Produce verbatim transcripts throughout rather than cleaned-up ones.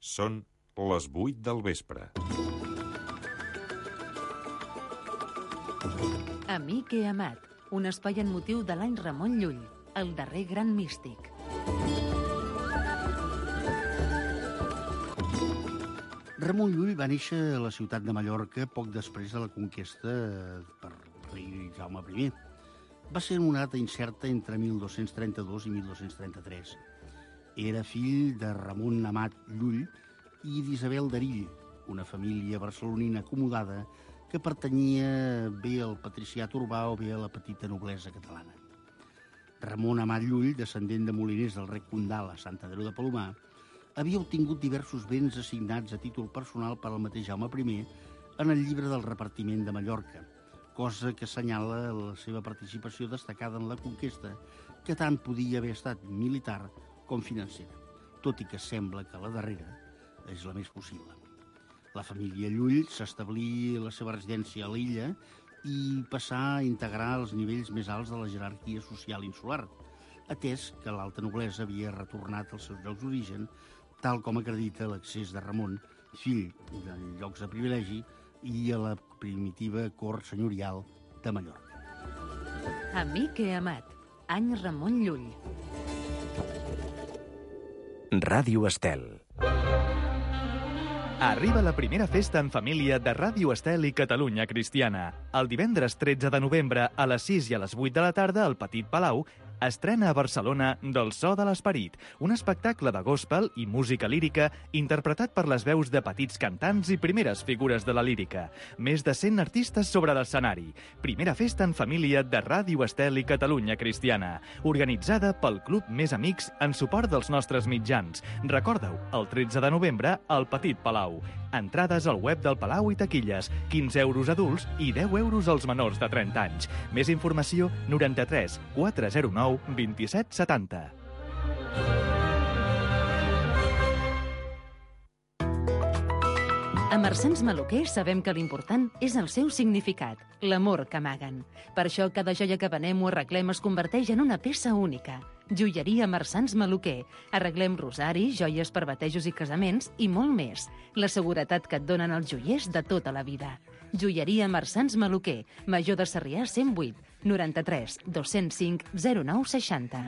Són les vuit del vespre. Amic he amat, un espai en motiu de l'any Ramon Llull, el darrer gran místic. Ramon Llull va néixer a la ciutat de Mallorca poc després de la conquesta per rei Jaume primer. Va ser en una data incerta entre mil dos-cents trenta-dos i mil dos-cents trenta-tres. Era fill de Ramon Amat Llull i d'Isabel d'Erill, una família barcelonina acomodada que pertanyia bé al patriciat urbà o bé a la petita noblesa catalana. Ramon Amat Llull, descendent de moliners del rec Condal a Sant Andreu de Palomar, havia obtingut diversos béns assignats a títol personal per al mateix Jaume primer en el llibre del repartiment de Mallorca, cosa que assenyala la seva participació destacada en la conquesta, que tant podia haver estat militar com financera, tot i que sembla que la darrera és la més possible. La família Llull s'establí la seva residència a l'illa i passà a integrar els nivells més alts de la jerarquia social insular, atès que l'alta noblesa havia retornat als seus llocs d'origen, tal com acredita l'accés de Ramon, fill de llocs de privilegi, i a la primitiva cort senyorial de Mallorca. Amic he amat, any Ramon Llull. Ràdio Estel. Arriba la primera festa en família de Ràdio Estel i Catalunya Cristiana. El divendres tretze de novembre a les sis i a les vuit de la tarda al Petit Palau estrena a Barcelona Del so de l'esperit, un espectacle de gospel i música lírica interpretat per les veus de petits cantants i primeres figures de la lírica. Més de cent artistes sobre l'escenari. Primera festa en família de Ràdio Estel i Catalunya Cristiana, organitzada pel Club Més Amics en suport dels nostres mitjans. Recorda-ho, el tretze de novembre al Petit Palau. Entrades al web del Palau i taquilles, quinze euros adults i deu euros als menors de trenta anys. Més informació, noranta-tres quatre zero nou vint-i-set setanta. A Marsans Maluquer sabem que l'important és el seu significat, l'amor que amaguen. Per això cada joia que venem o arreglem es converteix en una peça única. Joieria Marsans Maluquer. Arreglem rosaris, joies per batejos i casaments i molt més. La seguretat que et donen els joiers de tota la vida. Joieria Marsans Maluquer, Major de Sarrià cent vuit, noranta-tres dos-cents cinc zero nou seixanta.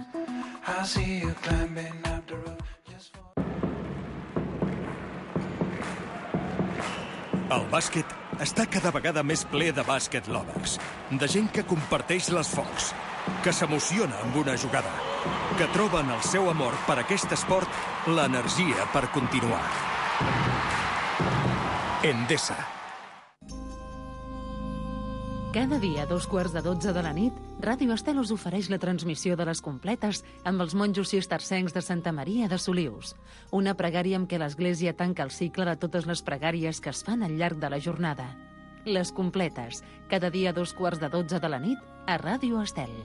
El bàsquet està cada vegada més ple de bàsquet lovers, de gent que comparteix les focs, que s'emociona amb una jugada, que troben el seu amor per aquest esport l'energia per continuar. Endesa. Cada dia a dos quarts de dotze de la nit, Ràdio Estel us ofereix la transmissió de les completes amb els monjos cistercencs de Santa Maria de Solius. Una pregària amb què l'Església tanca el cicle de totes les pregàries que es fan al llarg de la jornada. Les completes, cada dia a dos quarts de dotze de la nit, a Ràdio Estel.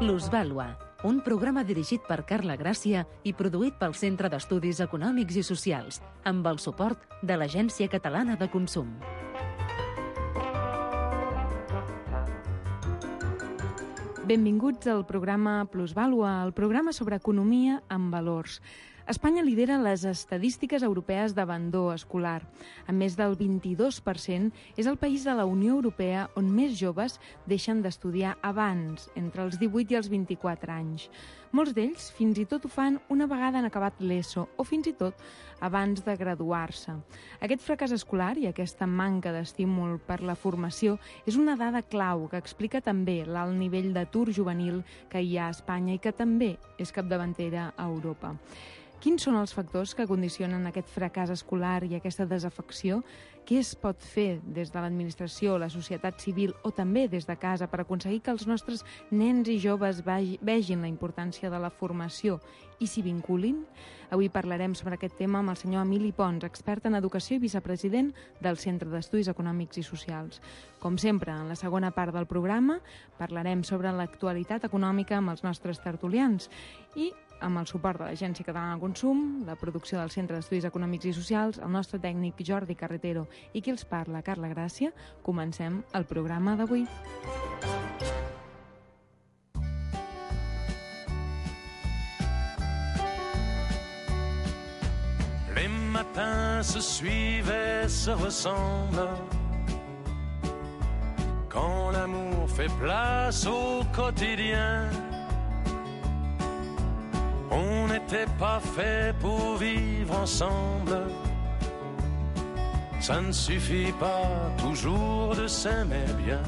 Plusvàlua, un programa dirigit per Carla Gràcia i produït pel Centre d'Estudis Econòmics i Socials, amb el suport de l'Agència Catalana de Consum. Benvinguts al programa Plusvàlua, el programa sobre economia amb valors. Espanya lidera les estadístiques europees d'abandó escolar. Amb més del vint-i-dos per cent, és el país de la Unió Europea on més joves deixen d'estudiar abans, entre els divuit i els vint-i-quatre anys. Molts d'ells fins i tot ho fan una vegada han acabat l'ESO o fins i tot abans de graduar-se. Aquest fracàs escolar i aquesta manca d'estímul per la formació és una dada clau que explica també l'alt nivell d'atur juvenil que hi ha a Espanya i que també és capdavantera a Europa. Quins són els factors que condicionen aquest fracàs escolar i aquesta desafecció? Què es pot fer des de l'administració, la societat civil o també des de casa per aconseguir que els nostres nens i joves vegin la importància de la formació i s'hi vinculin? Avui parlarem sobre aquest tema amb el senyor Emili Pons, expert en educació i vicepresident del Centre d'Estudis Econòmics i Socials. Com sempre, en la segona part del programa parlarem sobre l'actualitat econòmica amb els nostres tertulians i amb el suport de l'Agència Catalana de Consum, la producció del Centre d'Estudis Econòmics i Socials, el nostre tècnic Jordi Carretero i qui els parla, Carla Gràcia, comencem el programa d'avui. Les matins se suivent, se ressemblent. Quand l'amour fait place au quotidien, on n'était pas fait pour vivre ensemble. Ça ne suffit pas toujours de s'aimer bien.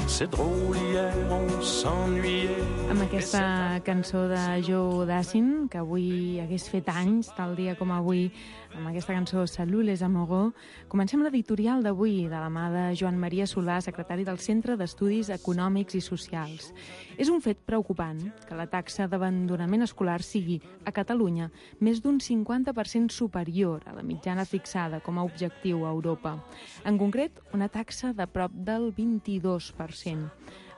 C'est drôle, hier on s'ennuyait. Amb aquesta cançó de Joe Dassin, que avui hagués fet anys, tal dia com avui, amb aquesta cançó Salut les amoureux, comencem l'editorial d'avui de la mà de Joan Maria Solà, secretari del Centre d'Estudis Econòmics i Socials. És un fet preocupant que la taxa d'abandonament escolar sigui, a Catalunya, més d'un cinquanta per cent superior a la mitjana fixada com a objectiu a Europa. En concret, una taxa de prop del vint-i-dos per cent.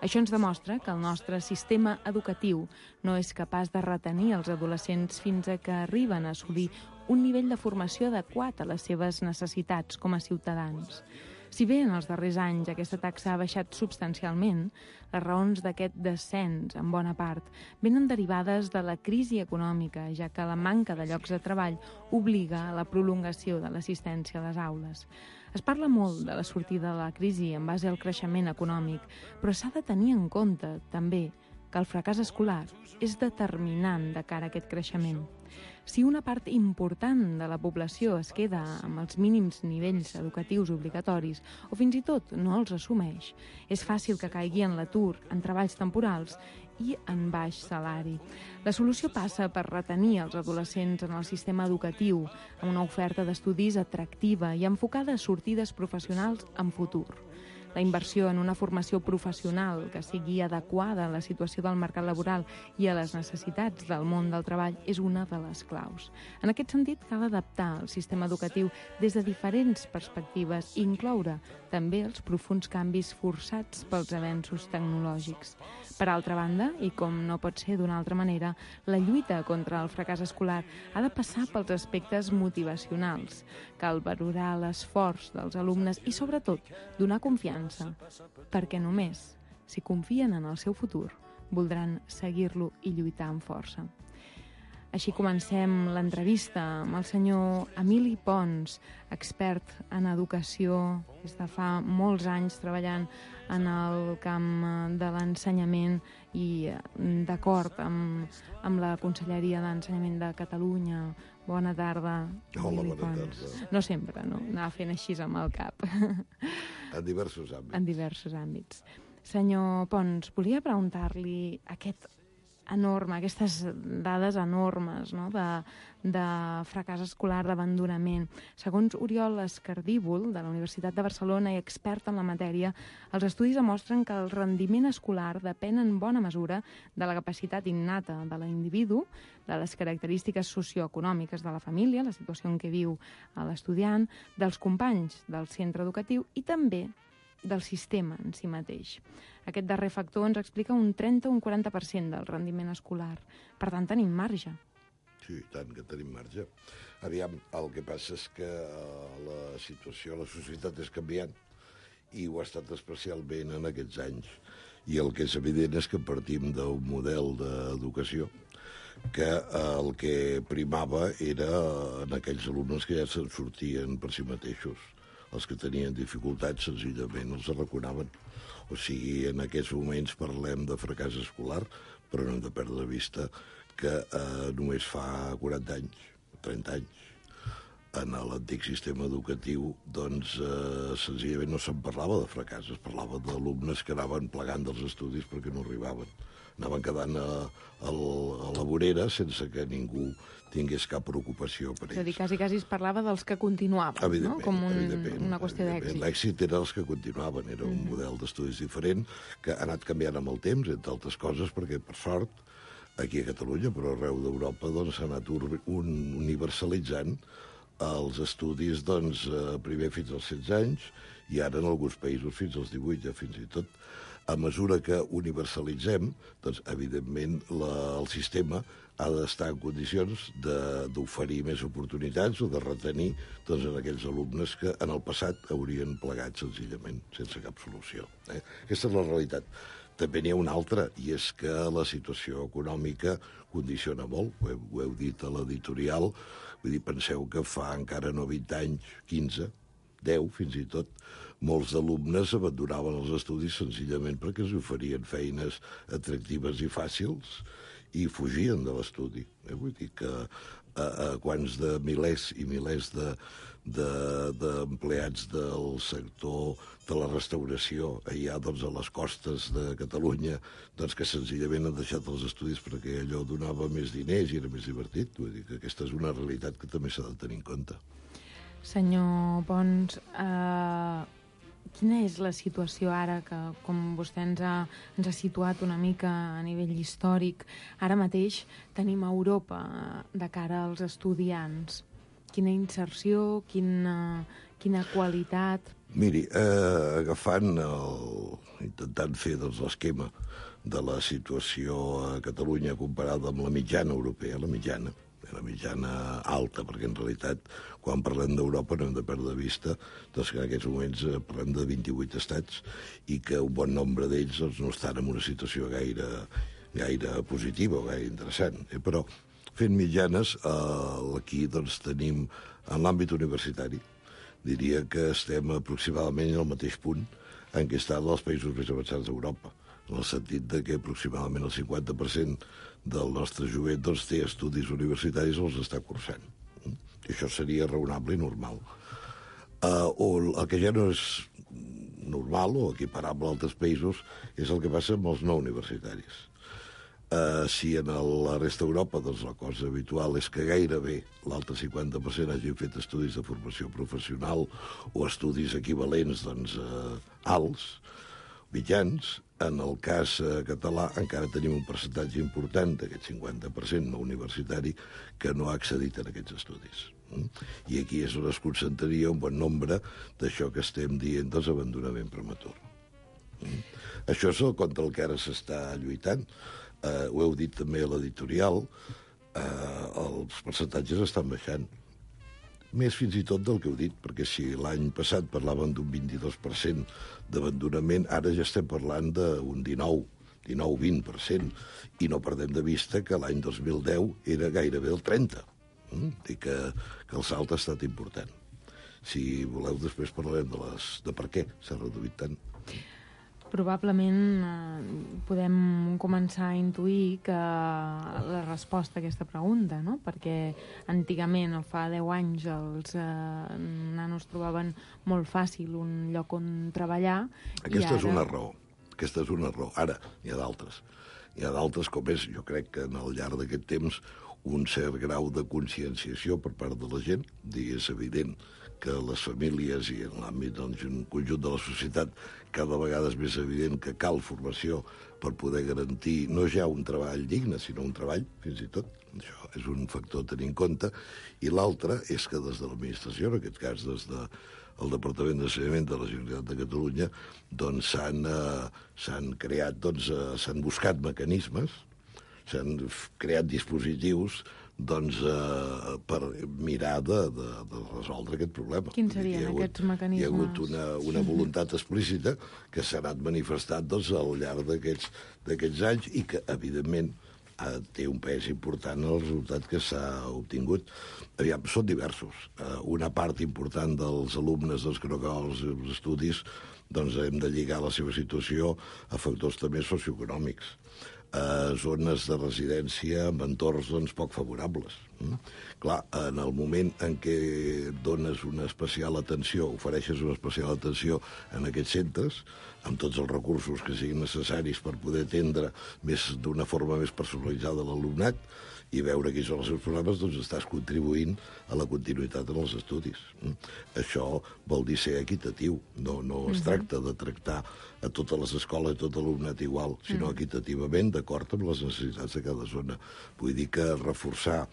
Això ens demostra que el nostre sistema educatiu no és capaç de retenir els adolescents fins a que arriben a assolir un nivell de formació adequat a les seves necessitats com a ciutadans. Si bé en els darrers anys aquesta taxa ha baixat substancialment, les raons d'aquest descens, en bona part, venen derivades de la crisi econòmica, ja que la manca de llocs de treball obliga a la prolongació de l'assistència a les aules. Es parla molt de la sortida de la crisi en base al creixement econòmic, però s'ha de tenir en compte, també, que el fracàs escolar és determinant de cara a aquest creixement. Si una part important de la població es queda amb els mínims nivells educatius obligatoris o fins i tot no els assumeix, és fàcil que caigui en l'atur, en treballs temporals i en baix salari. La solució passa per retenir els adolescents en el sistema educatiu amb una oferta d'estudis atractiva i enfocada a sortides professionals en futur. La inversió en una formació professional que sigui adequada a la situació del mercat laboral i a les necessitats del món del treball és una de les claus. En aquest sentit, cal adaptar el sistema educatiu des de diferents perspectives i incloure també els profunds canvis forçats pels avenços tecnològics. Per altra banda, i com no pot ser d'una altra manera, la lluita contra el fracàs escolar ha de passar pels aspectes motivacionals. Cal valorar l'esforç dels alumnes i, sobretot, donar confiança, perquè només, si confien en el seu futur, voldran seguir-lo i lluitar amb força. Així comencem l'entrevista amb el senyor Emili Pons, expert en educació, des de fa molts anys treballant en el camp de l'ensenyament i d'acord amb, amb la Conselleria d'Ensenyament de Catalunya. Bona tarda, Emili Pons. No sempre, no? Anava fent així amb el cap. En diversos àmbits. En diversos àmbits. Senyor Pons, volia preguntar-li aquest enorme, aquestes dades enormes, no?, de, de fracàs escolar, d'abandonament. Segons Oriol Escardíbol, de la Universitat de Barcelona i expert en la matèria, els estudis demostren que el rendiment escolar depèn en bona mesura de la capacitat innata de l'individu, de les característiques socioeconòmiques de la família, la situació en què viu l'estudiant, dels companys del centre educatiu i també del sistema en si mateix. Aquest darrer factor ens explica un trenta o un quaranta per cent del rendiment escolar. Per tant, tenim marge. Sí, tant que tenim marge. Aviam, el que passa és que la situació, la societat és canviant i ho ha estat especialment en aquests anys. I el que és evident és que partim d'un model d'educació que el que primava era en aquells alumnes que ja se'n sortien per si mateixos. Els que tenien dificultats senzillament els arraconaven. O sigui, en aquests moments parlem de fracàs escolar, però no hem de perdre de vista que eh, només fa quaranta anys, trenta anys, en l'antic sistema educatiu, doncs, eh, senzillament no se'n parlava de fracàs, es parlava d'alumnes que anaven plegant dels estudis perquè no arribaven. Anaven quedant a, a, a la vorera sense que ningú tingués cap preocupació per ells. És a dir, quasi, quasi es parlava dels que continuaven, no? Com un, una qüestió d'èxit. L'èxit era els que continuaven, era un mm. model d'estudis diferent que ha anat canviant amb el temps, entre altres coses, perquè, per sort, aquí a Catalunya, però arreu d'Europa, doncs, s'ha anat un, universalitzant els estudis, doncs, primer fins als setze anys i ara en alguns països fins als divuit, ja fins i tot. A mesura que universalitzem, doncs, evidentment, la, el sistema ha d'estar en condicions d'oferir més oportunitats o de retenir doncs, en aquells alumnes que en el passat haurien plegat senzillament, sense cap solució. Eh? Aquesta és la realitat. També n'hi ha una altra, i és que la situació econòmica condiciona molt, ho heu, ho heu dit a l'editorial, vull dir, penseu que fa encara no vint anys, quinze, deu fins i tot, molts alumnes abandonaven els estudis senzillament perquè els oferien feines atractives i fàcils i fugien de l'estudi. Eh? Vull dir que a, a quants de milers i milers de, de, d'empleats del sector de la restauració allà doncs, a les costes de Catalunya doncs, que senzillament han deixat els estudis perquè allò donava més diners i era més divertit. Vull dir que aquesta és una realitat que també s'ha de tenir en compte. Senyor Pons, eh, quina és la situació ara que, com vostè ens ha, ens ha situat una mica a nivell històric, ara mateix tenim a Europa de cara als estudiants? Quina inserció, quina, quina qualitat? Miri, eh, agafant, el, intentant fer doncs, l'esquema de la situació a Catalunya comparada amb la mitjana europea, la mitjana, la mitjana alta, perquè en realitat, quan parlem d'Europa, no hem de perdre de vista doncs, que en aquests moments parlem de vint-i-vuit estats i que un bon nombre d'ells doncs, no estan en una situació gaire, gaire positiva o gaire interessant. Eh? Però, fent mitjanes, eh, aquí doncs, tenim, en l'àmbit universitari, diria que estem aproximadament al mateix punt en què estan els països més avançats d'Europa, en el sentit de que aproximadament el cinquanta per cent del nostre jovent doncs, té estudis universitaris o els està cursant. I això seria raonable i normal. Uh, o el que ja no és normal o equiparable a altres països és el que passa amb els no universitaris. Uh, si en el, la resta d'Europa doncs, la cosa habitual és que gairebé l'altre cinquanta per cent hagin fet estudis de formació professional o estudis equivalents doncs, uh, alts, mitjans, en el cas eh, català encara tenim un percentatge important d'aquest cinquanta per cent no universitari que no ha accedit a aquests estudis. Mm? I aquí és on es concentraria un bon nombre d'això que estem dient dels abandonament prematur. Mm? Això és el contra el que ara s'està lluitant. Eh, ho heu dit també a l'editorial, eh, els percentatges estan baixant. Més fins i tot del que heu dit, perquè si l'any passat parlaven d'un vint-i-dos per cent d'abandonament, ara ja estem parlant d'un dinou, dinou vint per cent, i no perdem de vista que l'any dos mil deu era gairebé el trenta. Mm? I que, que el salt ha estat important. Si voleu, després parlarem de, les, de per què s'ha reduït tant. Probablement eh, podem començar a intuir que la resposta a aquesta pregunta, no? Perquè antigament, o fa deu anys, els eh, nanos trobaven molt fàcil un lloc on treballar. Aquesta i ara... és una raó. Aquesta és una raó. Ara, n'hi ha d'altres. N'hi ha d'altres com és, jo crec que en el llarg d'aquest temps, un cert grau de conscienciació per part de la gent. És evident que les famílies i en l'àmbit d'un conjunt de la societat cada vegada és més evident que cal formació per poder garantir no ja un treball digne, sinó un treball, fins i tot. Això és un factor a tenir en compte. I l'altre és que des de l'administració, en aquest cas des del Departament d'Ensenyament de la Generalitat de Catalunya, doncs s'han eh, s'han creat, doncs, eh, s'han buscat mecanismes, s'han creat dispositius doncs, eh, per mirar de, de, de resoldre aquest problema. Quins serien hagut, aquests mecanismes? Hi ha hagut una, una voluntat explícita que s'ha anat manifestant doncs, al llarg d'aquests anys i que, evidentment, eh, té un pes important en el resultat que s'ha obtingut. Aviam, són diversos. Eh, una part important dels alumnes doncs, que no acaben els estudis doncs hem de lligar la seva situació a factors també socioeconòmics, a zones de residència amb entorns doncs, poc favorables. Mm? Clar, en el moment en què dones una especial atenció, ofereixes una especial atenció en aquests centres, amb tots els recursos que siguin necessaris per poder atendre més d'una forma més personalitzada l'alumnat i veure quins són els seus problemes, doncs estàs contribuint a la continuïtat en els estudis. Mm? Això vol dir ser equitatiu. No, no es tracta de tractar a totes les escoles i tot l'alumnat igual, sinó equitativament, d'acord amb les necessitats de cada zona. Vull dir que reforçar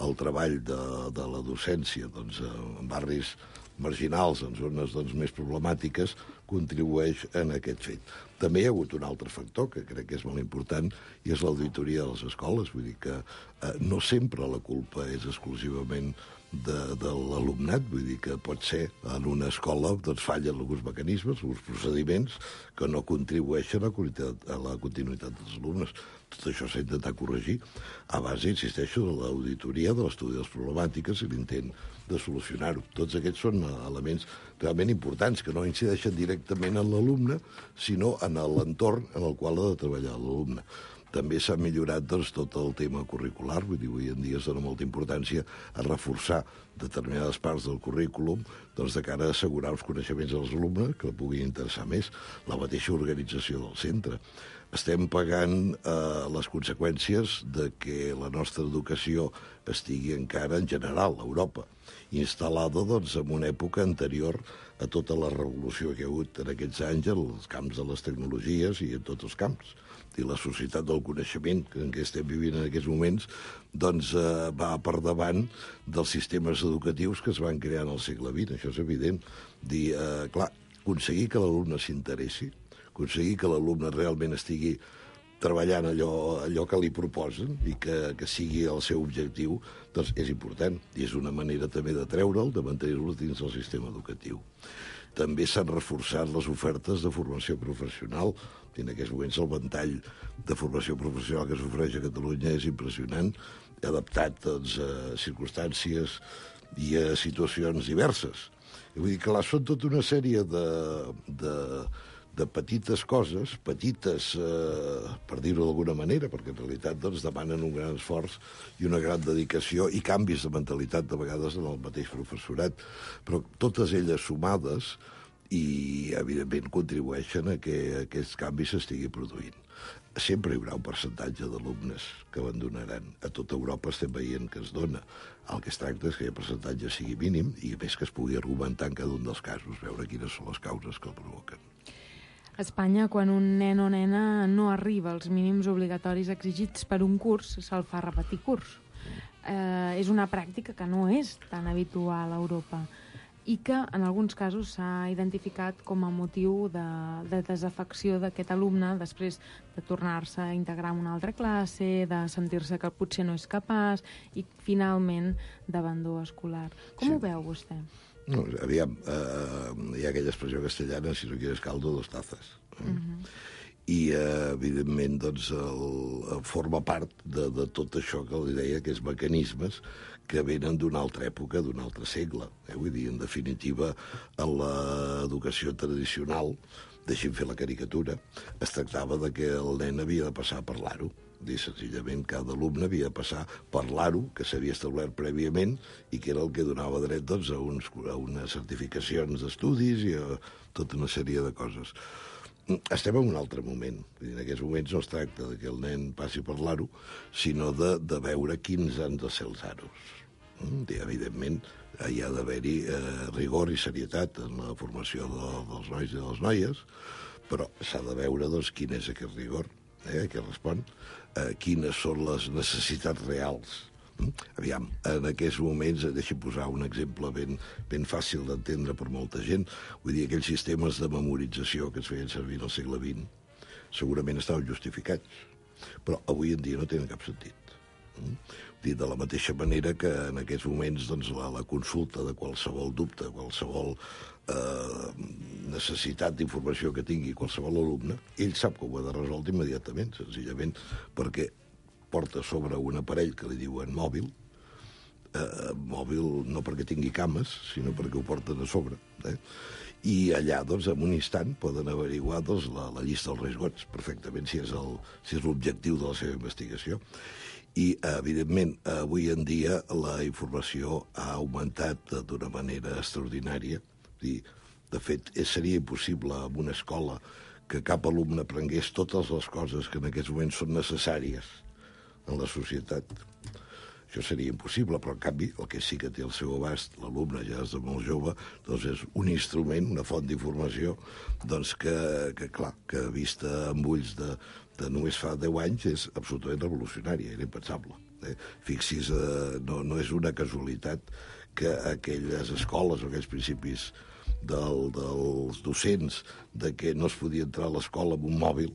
el treball de, de la docència doncs, en barris marginals, en zones doncs, més problemàtiques, contribueix en aquest fet. També hi ha hagut un altre factor que crec que és molt important i és l'auditoria de les escoles. Vull dir que eh, no sempre la culpa és exclusivament de, de l'alumnat, vull dir que pot ser en una escola doncs fallen alguns mecanismes, alguns procediments que no contribueixen a la continuïtat, a la continuïtat dels alumnes. Tot això s'ha d'intentar corregir a base, insisteixo, de l'auditoria, de l'estudi de les problemàtiques i l'intent de solucionar-ho. Tots aquests són elements realment importants que no incideixen directament en l'alumne, sinó en l'entorn en el qual ha de treballar l'alumne. També s'ha millorat doncs, tot el tema curricular, vull dir, avui en dia es dona molta importància a reforçar determinades parts del currículum doncs, de cara a assegurar els coneixements dels alumnes que la puguin interessar més, la mateixa organització del centre. Estem pagant eh, les conseqüències de que la nostra educació estigui encara, en general, a Europa, instal·lada doncs, en una època anterior a tota la revolució que hi ha hagut en aquests anys en els camps de les tecnologies i en tots els camps. I la societat del coneixement en què estem vivint en aquests moments doncs, eh, va per davant dels sistemes educatius que es van crear en el segle vint, això és evident. Dir, eh, clar, aconseguir que l'alumne s'interessi, aconseguir que l'alumne realment estigui treballant allò, allò que li proposen i que, que sigui el seu objectiu, doncs és important. I és una manera també de treure'l, de mantenir-lo dins del sistema educatiu. També s'han reforçat les ofertes de formació professional. I en aquests moments el ventall de formació professional que s'ofereix a Catalunya és impressionant, adaptat doncs, a circumstàncies i a situacions diverses. I vull dir que là són tota una sèrie de... de de petites coses, petites, eh, per dir-ho d'alguna manera, perquè en realitat doncs, demanen un gran esforç i una gran dedicació i canvis de mentalitat de vegades en el mateix professorat, però totes elles sumades i, evidentment, contribueixen a que aquests canvis s'estigui produint. Sempre hi haurà un percentatge d'alumnes que abandonaran. A tota Europa estem veient que es dona. El que es tracta és que el percentatge sigui mínim i, a més, que es pugui argumentar en cada un dels casos, veure quines són les causes que el provoquen. A Espanya, quan un nen o nena no arriba als mínims obligatoris exigits per un curs, se'l fa repetir curs. Eh, és una pràctica que no és tan habitual a Europa i que, en alguns casos, s'ha identificat com a motiu de, de desafecció d'aquest alumne després de tornar-se a integrar en una altra classe, de sentir-se que potser no és capaç i, finalment, d'abandó escolar. Com sí. ho veu vostè? No, aviam, eh, hi ha aquella expressió castellana, si no quieres caldo, dos tazas. Eh? Uh-huh. I, eh, evidentment, doncs, el, forma part de, de tot això que li deia, que és mecanismes que venen d'una altra època, d'un altre segle. Eh? Vull dir, en definitiva, en l'educació tradicional, deixi'm fer la caricatura, es tractava de que el nen havia de passar a parlar-ho. Dir, senzillament, cada alumne havia de passar per l'A R U, que s'havia establert prèviament i que era el que donava dret doncs, a, uns, a unes certificacions d'estudis i a tota una sèrie de coses. Estem en un altre moment. En aquests moments no es tracta de que el nen passi per l'A R U, sinó de, de veure quins han de ser els A R Us. I, evidentment, hi ha d'haver-hi eh, rigor i serietat en la formació de, dels nois i de les noies, però s'ha de veure doncs, quin és aquest rigor, eh, que respon, eh, quines són les necessitats reals. Mm? Aviam, en aquests moments, deixi'm posar un exemple ben, ben fàcil d'entendre per molta gent, vull dir, aquells sistemes de memorització que es feien servir al segle vint segurament estaven justificats, però avui en dia no tenen cap sentit. Mm? Dir, de la mateixa manera que en aquests moments doncs, la, la consulta de qualsevol dubte, qualsevol eh, necessitat d'informació que tingui qualsevol alumne, ell sap que ho ha de resoldre immediatament, senzillament perquè porta sobre un aparell que li diuen mòbil, eh, mòbil no perquè tingui cames, sinó perquè ho porten a sobre. Eh? I allà, doncs, en un instant poden averiguar doncs, la, la llista dels riscos perfectament, si és el, si és l'objectiu de la seva investigació. I, evidentment, avui en dia la informació ha augmentat d'una manera extraordinària. I, de fet, seria impossible en una escola que cap alumne aprengués totes les coses que en aquests moments són necessàries en la societat. Això seria impossible, però en canvi el que sí que té al seu abast l'alumne ja des de molt jove doncs és un instrument, una font d'informació doncs que, que, clar, que vista amb ulls de, de només fa deu anys és absolutament revolucionària, era impensable. Eh? Fixi's, eh, no, no és una casualitat que aquelles escoles o aquells principis del, dels docents de que no es podia entrar a l'escola amb un mòbil,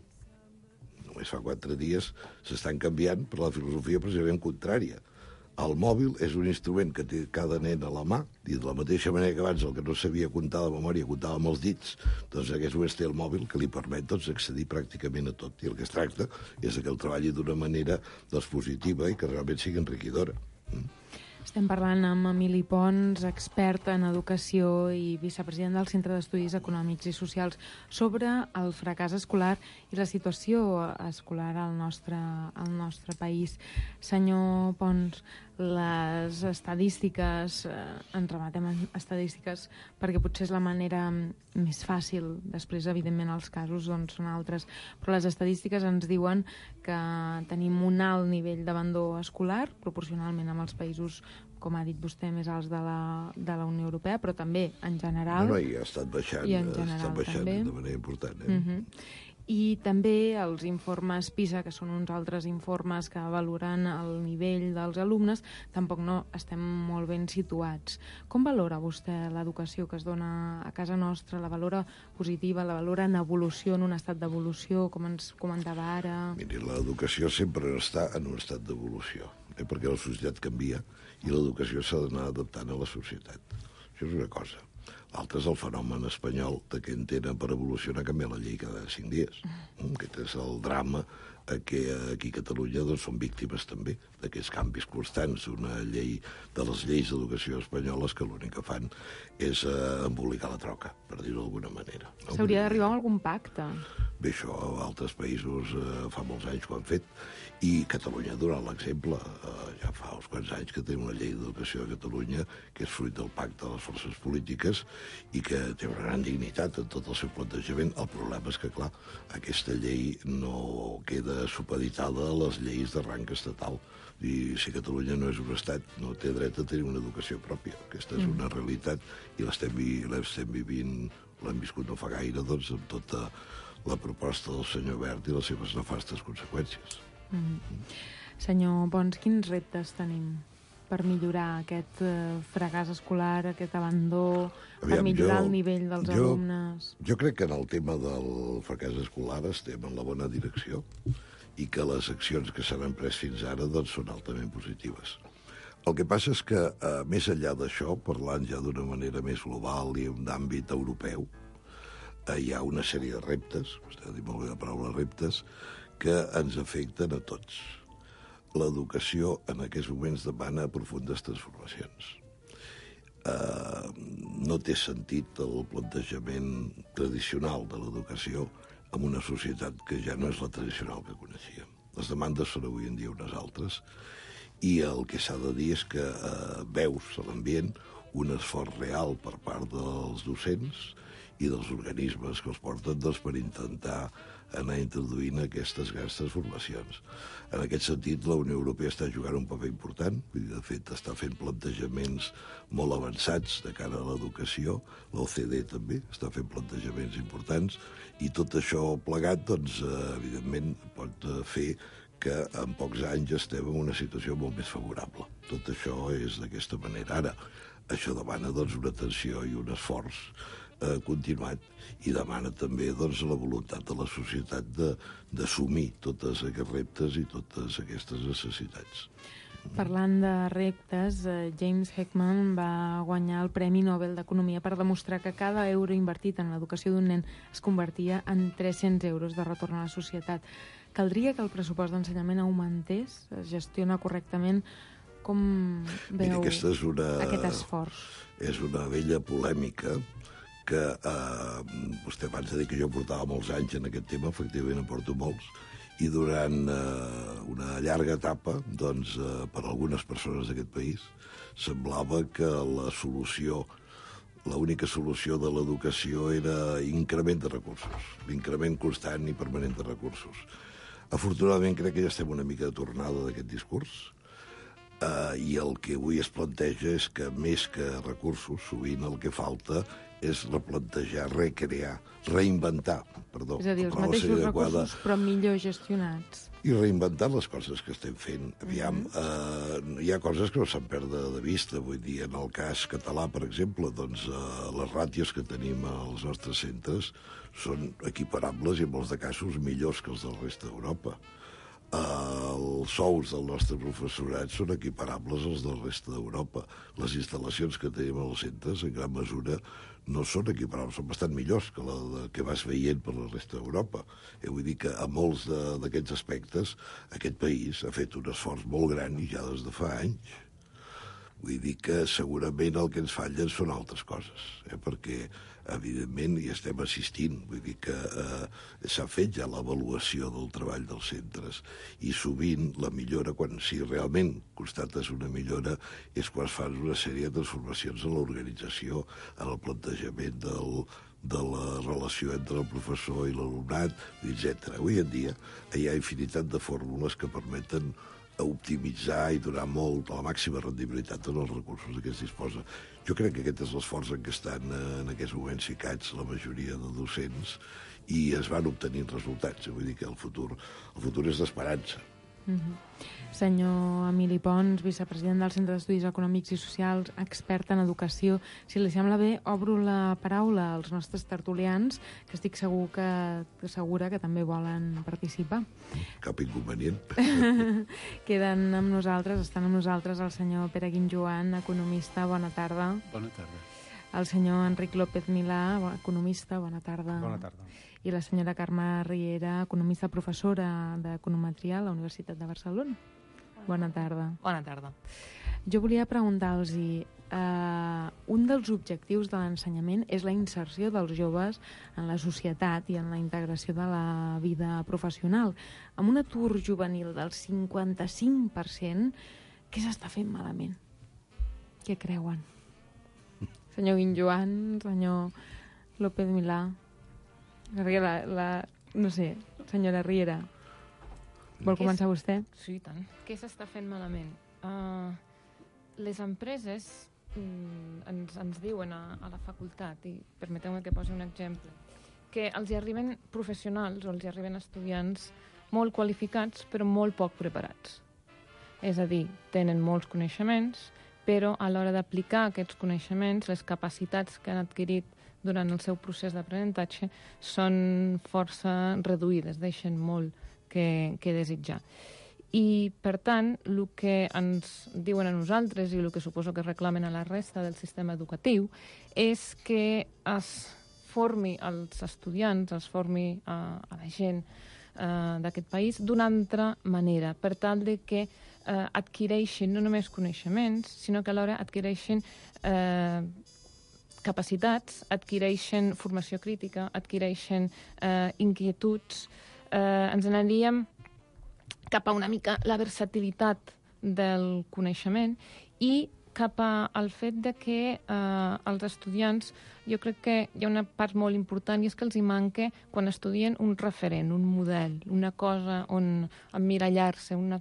només fa quatre dies s'estan canviant per la filosofia precisament contrària. El mòbil és un instrument que té cada nen a la mà, i de la mateixa manera que abans el que no sabia comptar de memòria comptava amb els dits, doncs en aquests moments té el mòbil que li permet doncs, accedir pràcticament a tot. I el que es tracta és que el treballi d'una manera doncs, positiva i que realment sigui enriquidora. Mm. Estem parlant amb Emili Pons, expert en educació i vicepresident del Centre d'Estudis Econòmics i Socials, sobre el fracàs escolar i la situació escolar al nostre, al nostre país. Senyor Pons, les estadístiques, eh, ens rematem a estadístiques perquè potser és la manera més fàcil, després evidentment els casos doncs, són altres, però les estadístiques ens diuen que tenim un alt nivell d'abandó escolar, proporcionalment amb els països, com ha dit vostè, més alts de la, de la Unió Europea, però també en general. No, no, i ha estat baixant, i en ha general, estat baixant també. de manera important. Eh? Uh-huh. I també els informes PISA, que són uns altres informes que valoren el nivell dels alumnes, tampoc no estem molt ben situats. Com valora vostè l'educació que es dona a casa nostra? La valora positiva, la valora en evolució, en un estat d'evolució, com ens comentava ara? Miri, l'educació sempre està en un estat d'evolució, eh? perquè la societat canvia i l'educació s'ha d'anar adaptant a la societat. Això és una cosa. L'altre és el fenomen espanyol de que entenen per evolucionar canviar la llei cada cinc dies. Aquest és el drama que aquí a Catalunya doncs, són víctimes també d'aquests canvis constants d'una llei, de les lleis d'educació espanyoles que l'únic que fan és eh, embolicar la troca, per dir-ho d'alguna manera. No? S'hauria d'arribar a algun pacte. Bé, això a altres països eh, fa molts anys que ho han fet, i Catalunya ha donat l'exemple. Eh, ja fa uns quants anys que té una llei d'educació a Catalunya que és fruit del pacte de les forces polítiques i que té una gran dignitat en tot el seu plantejament. El problema és que, clar, aquesta llei no queda supeditada a les lleis de rang estatal. I si Catalunya no és un estat, no té dret a tenir una educació pròpia. Aquesta és una realitat i l'estem vi, l'estem vivint, l'hem viscut no fa gaire, doncs, amb tota la proposta del senyor Wert i les seves nefastes conseqüències. Mm. Senyor Pons, quins reptes tenim per millorar aquest eh, fracàs escolar, aquest abandó, Aviam, per millorar jo, el nivell dels jo, alumnes? Jo crec que en el tema del fracàs escolar estem en la bona direcció i que les accions que s'han pres fins ara doncs, són altament positives. El que passa és que, eh, més enllà d'això, parlant ja d'una manera més global i d'àmbit europeu, eh, hi ha una sèrie de reptes, vostè ha dit molt bé la paraula reptes, que ens afecten a tots. L'educació en aquests moments demana profundes transformacions. Eh, no té sentit el plantejament tradicional de l'educació en una societat que ja no és la tradicional que coneixíem. Les demandes són avui en dia unes altres i el que s'ha de dir és que eh, veus a l'ambient un esforç real per part dels docents i dels organismes que els porten doncs, per intentar anar introduint aquestes grans transformacions. En aquest sentit, la Unió Europea està jugant un paper important, de fet està fent plantejaments molt avançats de cara a l'educació, l'O C D E també està fent plantejaments importants, i tot això plegat, doncs, evidentment, pot fer que en pocs anys estem en una situació molt més favorable. Tot això és d'aquesta manera. Ara, això demana doncs, una atenció i un esforç eh, continuat i demana també doncs, la voluntat de la societat d'assumir tots aquests reptes i totes aquestes necessitats. Parlant de reptes, James Heckman va guanyar el Premi Nobel d'Economia per demostrar que cada euro invertit en l'educació d'un nen es convertia en tres-cents euros de retorn a la societat. Caldria que el pressupost d'ensenyament augmentés, es gestiona correctament, Com veu Mira, és una, aquest esforç? És una vella polèmica que eh, vostè abans de dir que jo portava molts anys en aquest tema, efectivament en porto molts, i durant eh, una llarga etapa, doncs, eh, per a algunes persones d'aquest país, semblava que la solució, l'única solució de l'educació era increment de recursos, l'increment constant i permanent de recursos. Afortunadament crec que ja estem una mica de tornada d'aquest discurs, eh, i el que avui es planteja és que més que recursos, sovint el que falta és replantejar, recrear, reinventar, perdó. És a dir, els mateixos recursos, però millor gestionats. I reinventar les coses que estem fent. Aviam, uh-huh. eh, hi ha coses que no se'n perden de vista. Vull dir, en el cas català, per exemple, doncs eh, les ràtios que tenim als nostres centres són equiparables i en molts de casos millors que els del resta d'Europa. Uh, els sous del nostre professorat són equiparables als del resta d'Europa. Les instal·lacions que tenim als centres, en gran mesura, no són equiparables, són bastant millors que la de, que vas veient per la resta d'Europa. Eh, vull dir que a molts d'aquests aspectes aquest país ha fet un esforç molt gran i ja des de fa anys. Vull dir que segurament el que ens fallen són altres coses, eh, perquè evidentment hi estem assistint, vull dir que eh, s'ha fet ja l'avaluació del treball dels centres i sovint la millora, quan si realment constates una millora, és quan es fan una sèrie de transformacions en l'organització, en el plantejament del, de la relació entre el professor i l'alumnat, etcètera. Avui en dia hi ha infinitat de fórmules que permeten optimitzar i donar molt a la màxima rendibilitat en els recursos de què es disposa. Jo crec que aquest és l'esforç en què estan en aquests moments ficats la majoria de docents i es van obtenint resultats. Vull dir que el futur, el futur és d'esperança. Mm-hmm. Senyor Emili Pons, vicepresident del Centre d'Estudis Econòmics i Socials, expert en educació, si li sembla bé, obro la paraula als nostres tertulians, que estic segur que, segura que també volen participar. Cap inconvenient. Queden amb nosaltres, estan amb nosaltres el senyor Pere Guinjoan, economista, bona tarda. Bona tarda. El senyor Enric López Milà, economista, bona tarda. Bona tarda. I la senyora Carme Riera, economista professora d'Econometria a la Universitat de Barcelona. Bona tarda. Bona tarda. Jo volia preguntar-los, eh, un dels objectius de l'ensenyament és la inserció dels joves en la societat i en la integració de la vida professional. Amb un atur juvenil del cinquanta-cinc per cent, què s'està fent malament? Què creuen? Senyor Guinjoan, senyor López Milà, la, la, no sé, senyora Riera, vol començar vostè? Sí, tant. Què s'està fent malament? Uh, les empreses mm, ens, ens diuen a, a la facultat, i permeteu-me que posi un exemple, que els hi arriben professionals o els hi arriben estudiants molt qualificats però molt poc preparats. És a dir, tenen molts coneixements, però a l'hora d'aplicar aquests coneixements, les capacitats que han adquirit durant el seu procés d'aprenentatge són força reduïdes, deixen molt que, que desitjar. I, per tant, el que ens diuen a nosaltres i el que suposo que reclamen a la resta del sistema educatiu és que es formi als estudiants, es formi a, a la gent eh, d'aquest país d'una altra manera, per tal de que eh, adquireixin no només coneixements, sinó que alhora adquireixin eh, capacitats, adquireixen formació crítica, adquireixen eh, inquietuds, eh, ens anaríem cap a una mica la versatilitat del coneixement i cap al fet de que eh, els estudiants, jo crec que hi ha una part molt important i és que els hi manca quan estudien un referent, un model, una cosa on emmirallar-se, una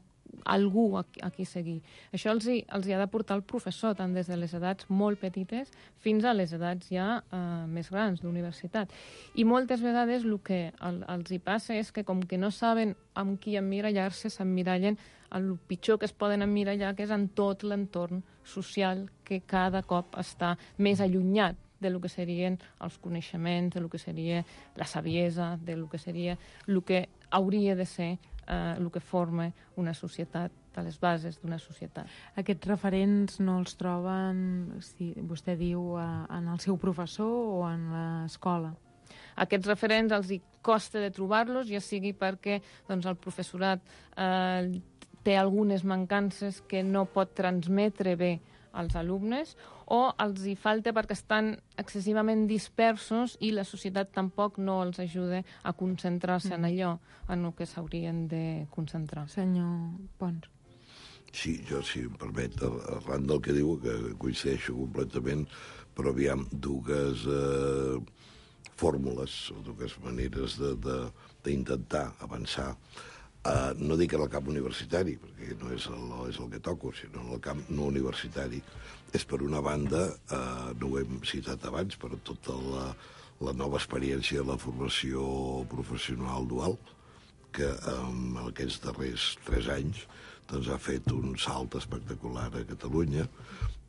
algú a, a qui seguir. Això els hi, els hi ha de portar el professor, tant des de les edats molt petites fins a les edats ja eh, més grans d'universitat. I moltes vegades el que el, els hi passa és que com que no saben amb qui emmirallar-se, s'emmirallen el pitjor que es poden emmirallar, que és en tot l'entorn social que cada cop està més allunyat de lo que serien els coneixements, de lo que seria la saviesa, de lo que seria el que hauria de ser eh, el que forma una societat, a les bases d'una societat. Aquests referents no els troben, si vostè diu, en el seu professor o en l'escola? Aquests referents els hi costa de trobar-los, ja sigui perquè doncs, el professorat eh, té algunes mancances que no pot transmetre bé als alumnes, o els hi falta perquè estan excessivament dispersos i la societat tampoc no els ajuda a concentrar-se mm. en allò en el que s'haurien de concentrar. Senyor Pons. Sí, jo, si em permet, arran del que diu, que coincideixo completament, però aviam, dues eh, fórmules, o dues maneres d'intentar avançar. Uh, no dic en el camp universitari, perquè no és el, és el que toco, sinó en el camp no universitari. És, per una banda, uh, no ho hem citat abans, però tota la, la nova experiència de la formació professional dual, que en aquests darrers tres anys doncs, ha fet un salt espectacular a Catalunya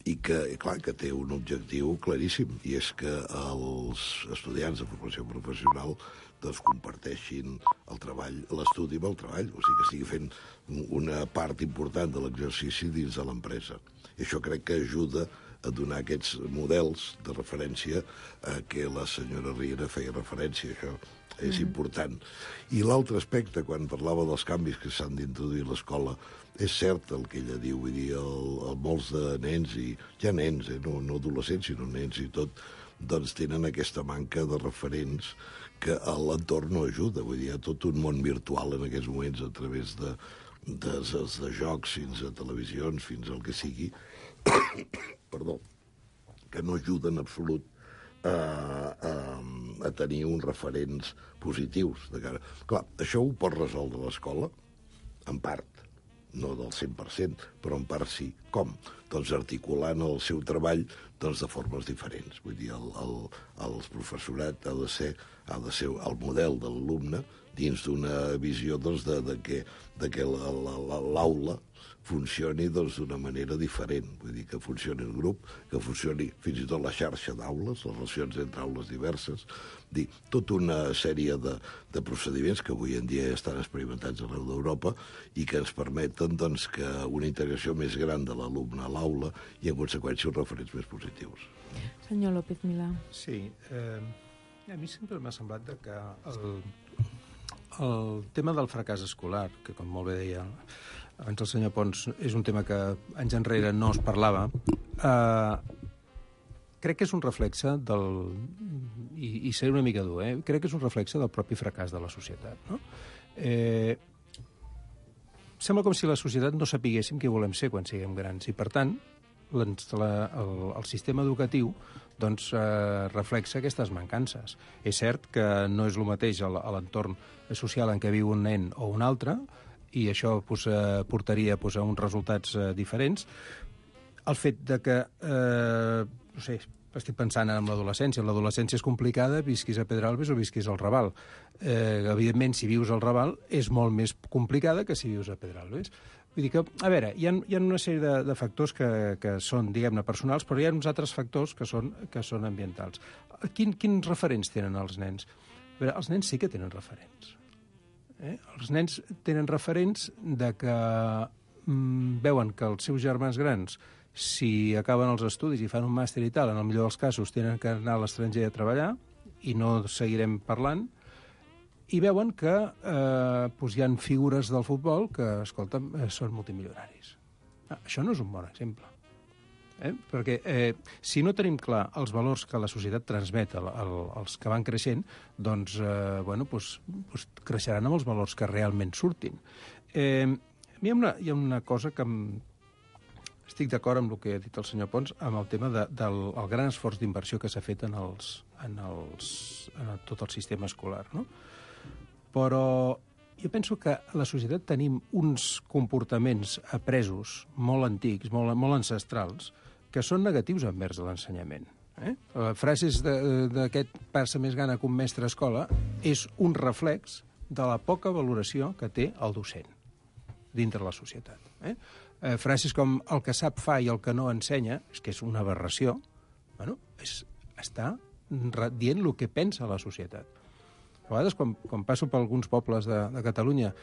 i que, clar, que té un objectiu claríssim, i és que els estudiants de formació professional doncs, comparteixin el treball, l'estudi amb el treball, o sigui que estigui fent una part important de l'exercici dins de l'empresa. I això crec que ajuda a donar aquests models de referència a què la senyora Riera feia referència, això és mm. important. I l'altre aspecte, quan parlava dels canvis que s'han d'introduir a l'escola, és cert el que ella diu, vull dir, el, el, molts de nens, i ja nens, eh, no, no adolescents, sinó nens i tot, doncs tenen aquesta manca de referents que l'entorn no ajuda. Vull dir, hi ha tot un món virtual en aquests moments a través de, de, de, de jocs, fins a televisions, fins al que sigui, perdó, que no ajuden en absolut a, a, a tenir uns referents positius de cara. Clar, això ho pot resoldre l'escola, en part, no del cent per cent, però en part sí. Com? Doncs articulant el seu treball doncs, de formes diferents. Vull dir, el, el, el professorat ha de ser, ha de ser el model de l'alumne dins d'una visió doncs, de, de que, de que l'aula funcioni doncs, d'una manera diferent. Vull dir, que funcioni el grup, que funcioni fins i tot la xarxa d'aules, les relacions entre aules diverses, dir, tota una sèrie de, de procediments que avui en dia estan experimentats arreu d'Europa i que ens permeten doncs, que una integració més gran de l'alumne a l'aula i, en conseqüència, uns referents més positius. Senyor López Milà. Sí, eh, a mi sempre m'ha semblat que el, el tema del fracàs escolar, que com molt bé deia abans el senyor Pons, és un tema que anys enrere no es parlava, eh, crec que és un reflexe del... I, i seré una mica dur, eh? Crec que és un reflexe del propi fracàs de la societat, no? Eh, sembla com si la societat no sapiguéssim què volem ser quan siguem grans, i per tant, la, el, el sistema educatiu doncs, eh, reflexa aquestes mancances. És cert que no és el mateix a l'entorn social en què viu un nen o un altre, i això pues, eh, portaria pues, a uns resultats eh, diferents. El fet de que, eh, no sé, estic pensant en l'adolescència. L'adolescència és complicada, visquis a Pedralbes o visquis al Raval. Eh, evidentment, si vius al Raval, és molt més complicada que si vius a Pedralbes. Vull dir que, a veure, hi ha, hi ha una sèrie de, de factors que, que són, diguem-ne, personals, però hi ha uns altres factors que són, que són ambientals. Quin, quins referents tenen els nens? A veure, els nens sí que tenen referents. Eh? Els nens tenen referents de que mm, veuen que els seus germans grans, si acaben els estudis i fan un màster i tal, en el millor dels casos tenen que anar a l'estranger a treballar i no seguirem parlant, i veuen que eh, doncs hi ha figures del futbol que, escolta, eh, són multimilionaris. Ah, això no és un bon exemple. Eh? Perquè eh, si no tenim clar els valors que la societat transmet al, al, als que van creixent, doncs, eh, bueno, doncs, doncs creixeran amb els valors que realment surtin. Eh, a mi hi ha una, hi ha una cosa que em... estic d'acord amb el que ha dit el senyor Pons, amb el tema de, del el gran esforç d'inversió que s'ha fet en, els, en, els, en el, tot el sistema escolar, no? Però jo penso que a la societat tenim uns comportaments apresos molt antics, molt, molt ancestrals, que són negatius envers l'ensenyament. Eh? Frases d'aquest passa més gana que un mestre a escola és un reflex de la poca valoració que té el docent dintre la societat. Eh? Eh, frases com el que sap fa i el que no ensenya, és que és una aberració, bueno, és, està dient el que pensa la societat. A vegades, quan, quan passo per alguns pobles de, de Catalunya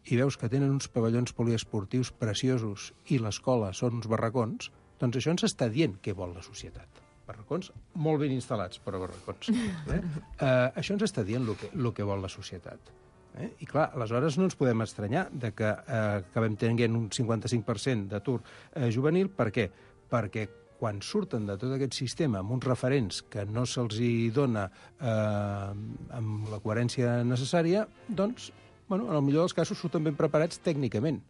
i veus que tenen uns pavellons poliesportius preciosos i l'escola són uns barracons, doncs això ens està dient què vol la societat. Barracons molt ben instal·lats, però barracons. Eh? Eh, això ens està dient el que, el que vol la societat. Eh? I clar, aleshores no ens podem estranyar de que eh, acabem tenint un cinquanta-cinc per cent d'atur eh, juvenil. Per què? Perquè quan surten de tot aquest sistema amb uns referents que no se'ls hi dona eh, amb la coherència necessària, doncs, bueno, en el millor dels casos surten ben preparats tècnicament,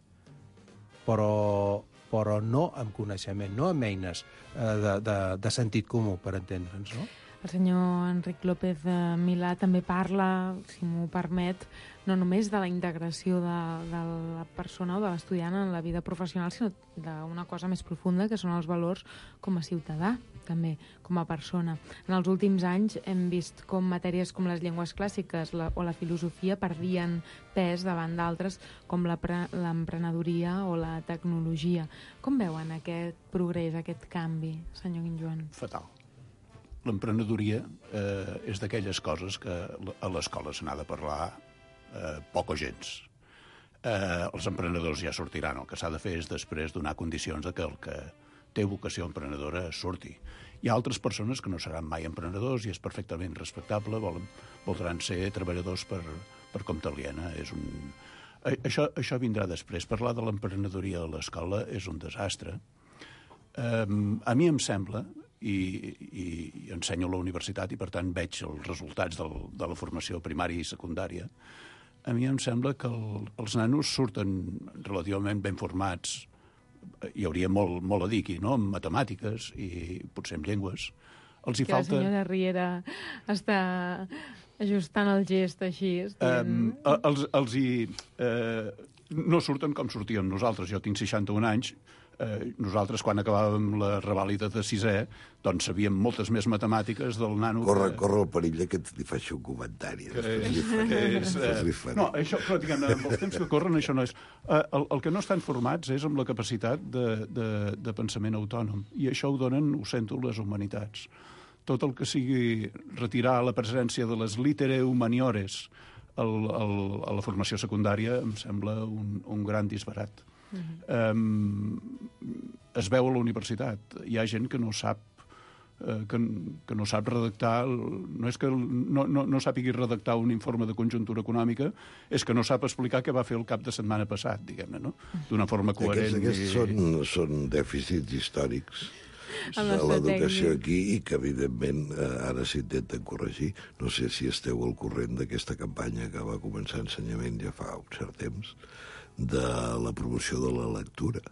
però, però no amb coneixement, no amb eines eh, de, de, de sentit comú, per entendre'ns, no? El senyor Enric López Milà també parla, si m'ho permet, no només de la integració de, de la persona o de l'estudiant en la vida professional, sinó d'una cosa més profunda, que són els valors com a ciutadà, també, com a persona. En els últims anys hem vist com matèries com les llengües clàssiques la, o la filosofia perdien pes davant d'altres com l'emprenedoria o la tecnologia. Com veuen aquest progrés, aquest canvi, senyor Guinjoan? Fatal. L'emprenedoria eh, és d'aquelles coses que a l'escola se n'ha de parlar eh, poc o gens. Eh, els emprenedors ja sortiran. El que s'ha de fer és després donar condicions de que el que té vocació emprenedora surti. Hi ha altres persones que no seran mai emprenedors i és perfectament respectable, volen, voldran ser treballadors per, per compte aliena. És un... això, això vindrà després. Parlar de l'emprenedoria a l'escola és un desastre. Eh, a mi em sembla, i, i, i ensenyo a la universitat i per tant veig els resultats del, de la formació primària i secundària, a mi em sembla que el, els nanos surten relativament ben formats. Hi hauria molt, molt a dir aquí, no?, en matemàtiques i potser en llengües. Els hi que falta... la senyora Riera està ajustant el gest així. Um, els, els hi... Eh, no surten com sortíem nosaltres. Jo tinc seixanta-un anys. Eh, nosaltres, quan acabàvem la revàlida de sisè, doncs sabíem moltes més matemàtiques del nano... Corre, que... corre el perill que li faci un comentari. Que és, que és, eh... No, això, però diguem, amb els temps que corren això no és... Eh, el, el que no estan formats és amb la capacitat de, de, de pensament autònom, i això ho donen, ho sento, les humanitats. Tot el que sigui retirar la presència de les litere humaniores al, al, a la formació secundària em sembla un, un gran disbarat. Uh-huh. um, es veu a la universitat. Hi ha gent que no sap uh, que, que no sap redactar, no és que no, no, no sàpigui redactar un informe de conjuntura econòmica, és que no sap explicar què va fer el cap de setmana passat, diguem-ne, no? D'una forma coherent. Aquests, aquests i... són, són dèficits històrics de l'educació aquí i que, evidentment, ara s'intenten corregir. No sé si esteu al corrent d'aquesta campanya que va començar ensenyament ja fa un cert temps, de la promoció de la lectura.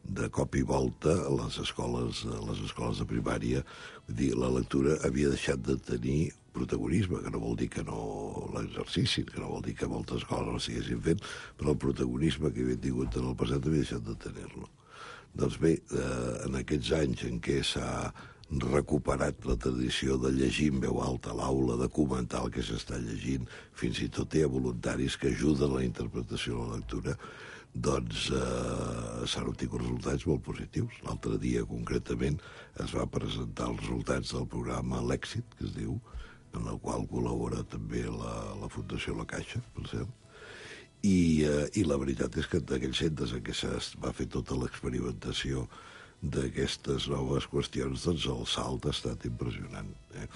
De cop i volta, a les escoles, a les escoles de primària, vull dir, la lectura havia deixat de tenir protagonisme, que no vol dir que no l'exercicin, que no vol dir que moltes escoles no l'estiguessin fent, però el protagonisme que havia tingut en el passat havia deixat de tenir-lo. Doncs bé, eh, en aquests anys en què s'ha recuperat la tradició de llegir en veu alta a l'aula, de comentar el que s'està llegint, fins i tot hi ha voluntaris que ajuden a la interpretació de la lectura, doncs eh, s'han obtingut resultats molt positius. L'altre dia, concretament, es va presentar els resultats del programa L'Èxit, que es diu, en el qual col·labora també la, la Fundació La Caixa, per cert. I, eh, i la veritat és que en aquells centres en què es va fer tota l'experimentació d'aquestes noves qüestions, doncs el salt ha estat impressionant. Eh?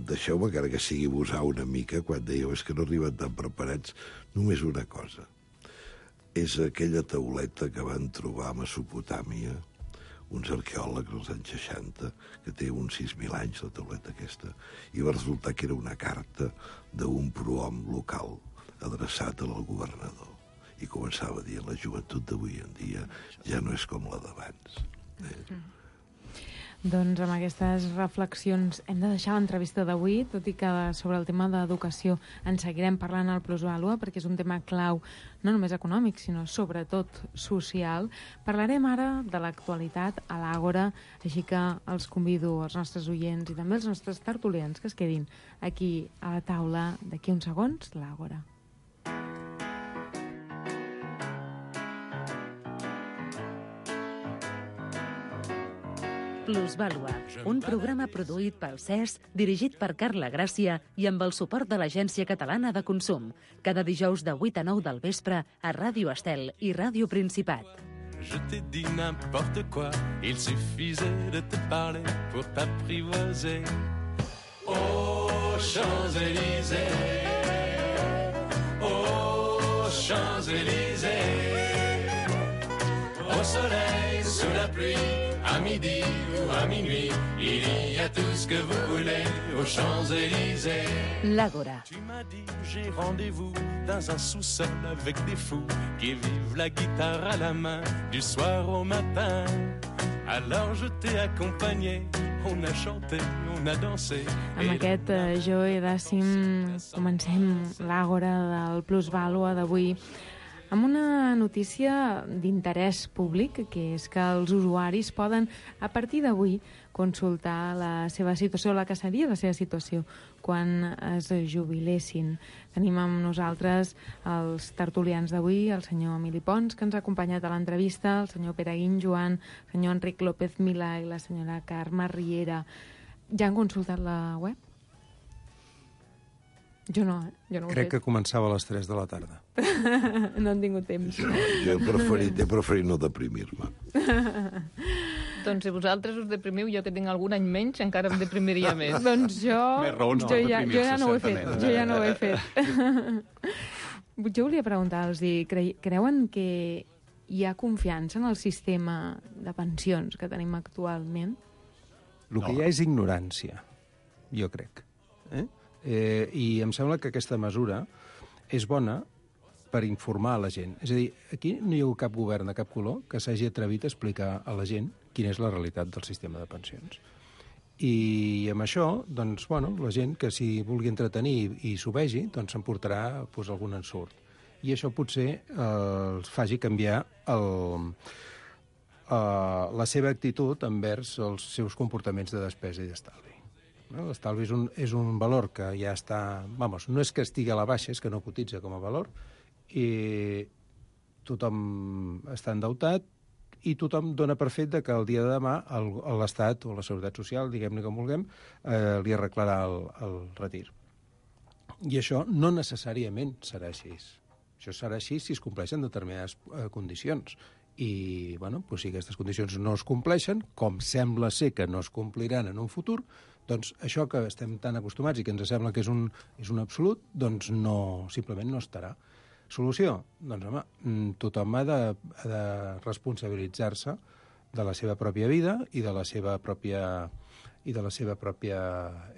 Deixeu-me, encara que sigui abusar una mica, quan dèieu és que no arriben tan preparats, només una cosa. És aquella tauleta que van trobar a Mesopotàmia uns arqueòlegs als anys seixanta, que té uns sis mil anys, la tauleta aquesta, i va resultar que era una carta d'un prohom local adreçat al governador. I començava a dir, la joventut d'avui en dia ja no és com la d'abans. Eh? Doncs amb aquestes reflexions hem de deixar l'entrevista d'avui, tot i que sobre el tema d'educació en seguirem parlant al Plusvàlua, perquè és un tema clau, no només econòmic, sinó sobretot social. Parlarem ara de l'actualitat a l'Àgora, així que els convido, als nostres oients i també als nostres tertulians, que es quedin aquí a la taula d'aquí uns segons, l'Àgora. Plusvàlua, un programa produït pel C E S, dirigit per Carla Gràcia i amb el suport de l'Agència Catalana de Consum. Cada dijous de vuit a nou del vespre a Ràdio Estel i Ràdio Principat. Je t'ai dit n'importe quoi, il suffisait de te parler pour t'apprivoiser. Aux Champs-Élysées, aux Champs-Élysées. Au soleil, sous la pluie, à midi ou à minuit, il y a tout ce que vous voulez aux Champs-Élysées. L'Àgora. Tu m'as dit, j'ai rendez-vous dans un sous-sol avec des fous qui vivent la guitare à la main du soir au matin. Alors je t'ai accompagné, on a chanté, on a dansé. Amb aquest uh, Joe Dassim comencem l'Àgora del Plusvàlua d'avui amb una notícia d'interès públic, que és que els usuaris poden, a partir d'avui, consultar la seva situació, la que seria la seva situació, quan es jubilessin. Tenim amb nosaltres els tertulians d'avui, el senyor Emili Pons, que ens ha acompanyat a l'entrevista, el senyor Pere Guinjoan, el senyor Enric López Milà i la senyora Carme Riera. Ja han consultat la web? Jo no, eh? Jo no ho he Crec fet. que començava a les tres de la tarda. No han tingut temps. No, jo he preferit, he preferit no deprimir-me. Doncs si vosaltres us deprimiu, jo que tinc algun any menys, encara em deprimiria més. Doncs jo, Més raons jo, per ja, jo ja no ho he fet. deprimir-se, Jo ja no ho he fet. Jo volia preguntar-los, cre creuen que hi ha confiança en el sistema de pensions que tenim actualment? El que hi ha és ignorància, jo crec. Eh? Eh, I em sembla que aquesta mesura és bona per informar a la gent. És a dir, aquí no hi ha cap govern de cap color que s'hagi atrevit a explicar a la gent quina és la realitat del sistema de pensions. I amb això, doncs, bueno, la gent que s'hi vulgui entretenir i, i s'ho vegi, doncs s'emportarà pues, algun ensurt. I això potser eh, els faci canviar el, eh, la seva actitud envers els seus comportaments de despesa i d'estalvi. No? L'estalvi és, un, és un valor que ja està... Vamos, no és que estigui a la baixa, és que no cotitza com a valor, i tothom està endeutat i tothom dona per fet que el dia de demà l'Estat o la Seguretat Social, diguem-ne com vulguem, eh, li arreglarà el, el retir. I això no necessàriament serà així. Això serà així si es compleixen determinades eh, condicions. I, bueno, pues, si aquestes condicions no es compleixen, com sembla ser que no es compliran en un futur, doncs això que estem tan acostumats i que ens sembla que és un, és un absolut, doncs no, simplement no estarà. Solució? Doncs, home, tothom ha de, ha de responsabilitzar-se de la seva pròpia vida i de la seva pròpia i de la seva pròpia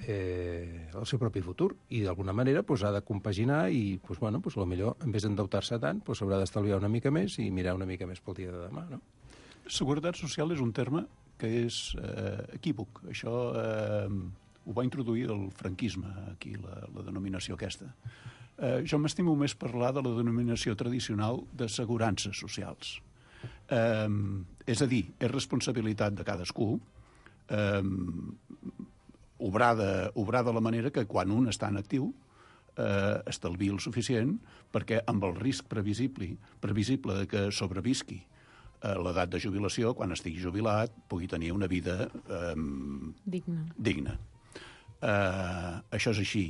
eh, el seu propi futur, i d'alguna manera pues, ha de compaginar i pues, bueno, pues, potser en vez d'endeutar-se tant pues, s'haurà d'estalviar una mica més i mirar una mica més pel dia de demà, no? Seguretat social és un terme que és eh, equívoc. Això eh, ho va introduir el franquisme, aquí, la, la denominació aquesta. Eh, jo m'estimo més parlar de la denominació tradicional d'assegurances socials. Eh, és a dir, és responsabilitat de cadascú eh, obrar, de, obrar de la manera que quan un està en actiu eh, estalviï el suficient perquè amb el risc previsible, previsible de que sobrevisqui a l'edat de jubilació, quan estigui jubilat, pugui tenir una vida eh, digna. digna. Eh, això és així.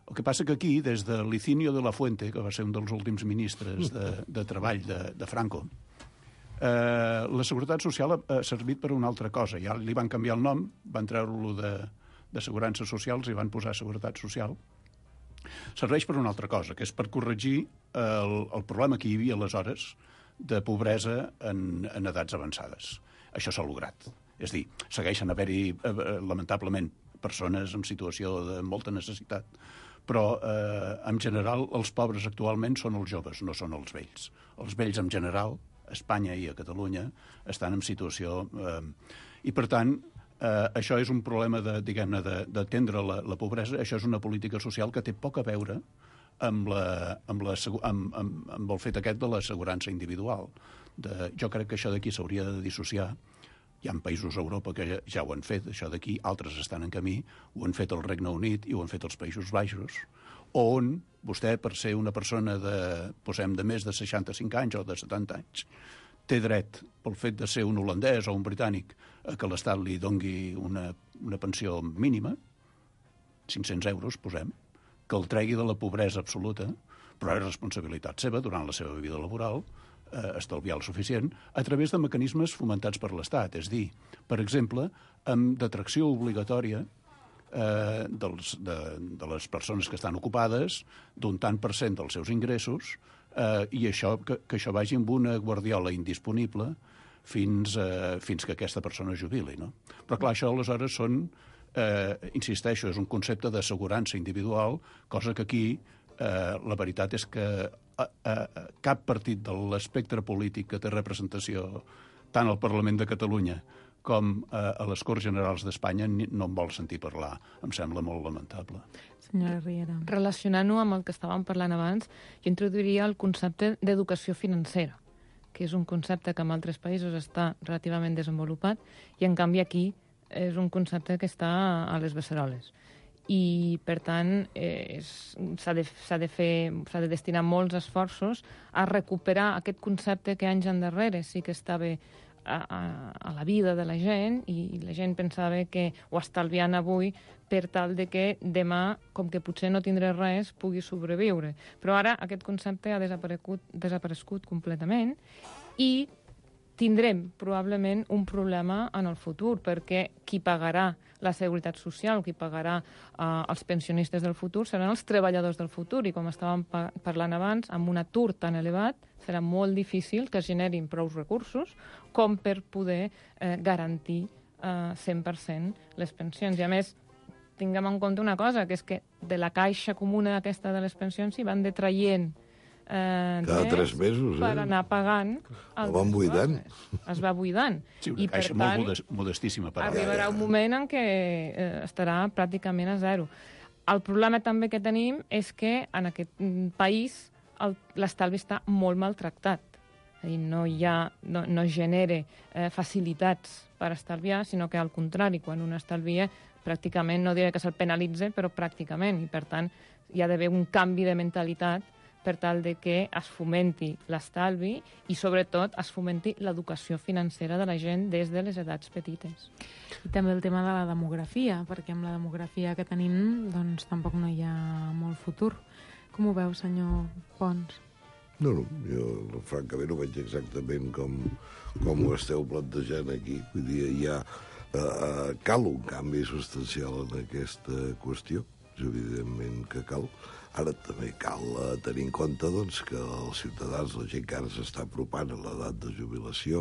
El que passa que aquí, des de Licinio de la Fuente, que va ser un dels últims ministres de, de treball de, de Franco, eh, la Seguretat Social ha, ha servit per una altra cosa. Ja li van canviar el nom, van treure-lo d'assegurances socials i van posar Seguretat Social. Serveix per una altra cosa, que és per corregir el, el problema que hi havia aleshores de pobresa en, en edats avançades. Això s'ha lograt. És a dir, segueixen haver-hi, eh, lamentablement, persones en situació de molta necessitat, però eh, en general els pobres actualment són els joves, no són els vells. Els vells en general, a Espanya i a Catalunya, estan en situació... Eh, I per tant, eh, això és un problema de, diguem-ne, d'atendre la, la pobresa. Això és una política social que té poc a veure amb, la, amb, la, amb, amb, amb el fet aquest de l'assegurança individual. De, jo crec que això d'aquí s'hauria de dissociar. Hi ha països a Europa que ja, ja ho han fet, això d'aquí, altres estan en camí, ho han fet el Regne Unit i ho han fet els Països Baixos, on vostè, per ser una persona de, posem, de més de seixanta-cinc anys o de setanta anys, té dret, pel fet de ser un holandès o un britànic, a que l'Estat li dongui una, una pensió mínima, cinc-cents euros, posem, que el tregui de la pobresa absoluta, però és responsabilitat seva, durant la seva vida laboral, eh, estalviar el suficient, a través de mecanismes fomentats per l'Estat. És dir, per exemple, amb detracció obligatòria eh, dels, de, de les persones que estan ocupades, d'un tant per cent dels seus ingressos, eh, i això, que, que això vagi amb una guardiola indisponible fins, eh, fins que aquesta persona jubili, no? Però clar, això aleshores són, eh, insisteixo, és un concepte d'assegurança individual, cosa que aquí eh, la veritat és que eh, eh, cap partit de l'espectre polític que té representació tant al Parlament de Catalunya com eh, a les Corts Generals d'Espanya no en vol sentir parlar. Em sembla molt lamentable. Senyora Riera. Relacionant-ho amb el que estàvem parlant abans, jo introduiria el concepte d'educació financera, que és un concepte que en altres països està relativament desenvolupat i, en canvi, aquí és un concepte que està a les beceroles. I, per tant, eh, s'ha de, s'ha de fer, s'ha de destinar molts esforços a recuperar aquest concepte que anys endarrere sí que estava a, a, a la vida de la gent i la gent pensava que ho estalviant avui per tal de que demà, com que potser no tindré res, pugui sobreviure. Però ara aquest concepte ha desaparegut, desaparegut completament i tindrem probablement un problema en el futur, perquè qui pagarà la seguretat social, qui pagarà eh, els pensionistes del futur, seran els treballadors del futur, i com estàvem pa parlant abans, amb un atur tan elevat, serà molt difícil que es generin prou recursos com per poder eh, garantir eh, cent per cent les pensions. I a més, tinguem en compte una cosa, que és que de la caixa comuna aquesta de les pensions s'hi van detraient Eh, cada tres mesos, per eh? anar pagant el van buidant. Es va buidant. Sí, una I, caixa per molt tant, modest, modestíssima. Per arribarà un moment en què eh, estarà pràcticament a zero. El problema també que tenim és que en aquest país l'estalvi està molt maltractat. És a dir, no, hi ha, no, no genera eh, facilitats per estalviar, sinó que al contrari, quan un estalvia, pràcticament, no diré que se'l penalitza, però pràcticament, i per tant hi ha d'haver un canvi de mentalitat per tal de que es fomenti l'estalvi i, sobretot, es fomenti l'educació financera de la gent des de les edats petites. I també el tema de la demografia, perquè amb la demografia que tenim doncs tampoc no hi ha molt futur. Com ho veu, senyor Pons? No, no, jo francament ho veig exactament com, com ho esteu plantejant aquí. Vull dir, hi ha, eh, cal un canvi substancial en aquesta qüestió, evidentment que cal. Ara també cal uh, tenir en compte doncs, que els ciutadans, la gent que ara s'està apropant a l'edat de jubilació,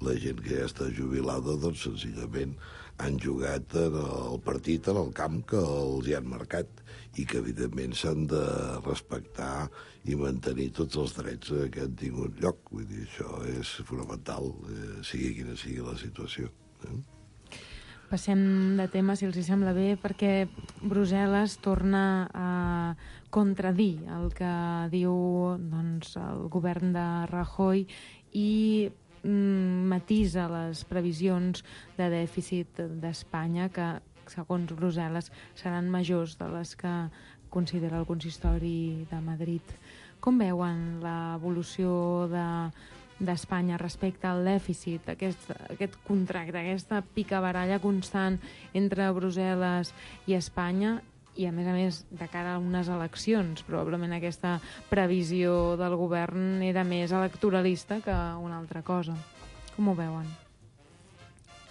la gent que ja està jubilada, doncs senzillament han jugat en el partit en el camp que els hi han marcat i que evidentment s'han de respectar i mantenir tots els drets que han tingut lloc. Vull dir, això és fonamental, eh, sigui quina sigui la situació. Eh? Passem de tema, si els hi sembla bé, perquè Brussel·les torna a contradir el que diu doncs, el govern de Rajoy i mm, matisa les previsions de dèficit d'Espanya, que, segons Brussel·les, seran majors de les que considera el consistori de Madrid. Com veuen l'evolució de d'Espanya respecte al dèficit, aquest, aquest contracte, aquesta picabaralla constant entre Brussel·les i Espanya, i a més a més de cara a unes eleccions? Probablement aquesta previsió del govern era més electoralista que una altra cosa. Com ho veuen?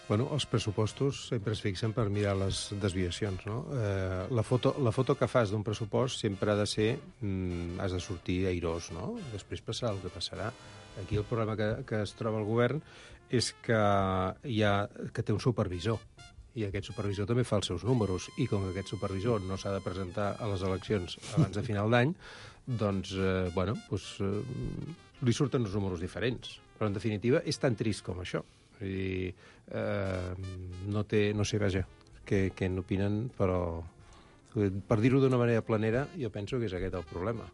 Bueno, els pressupostos sempre es fixen per mirar les desviacions, no? Eh, la, foto, la foto que fas d'un pressupost sempre ha de ser... Mm, has de sortir airós, no? Després passarà el que passarà. Aquí el problema que, que es troba el govern és que, hi ha, que té un supervisor, i aquest supervisor també fa els seus números, i com que aquest supervisor no s'ha de presentar a les eleccions abans de final d'any, doncs, eh, bueno, doncs, eh, li surten uns números diferents. Però, en definitiva, és tan trist com això. Vull dir, eh, no té, no sé, vaja, què, què n'opinen, però per dir-ho d'una manera planera, jo penso que és aquest el problema.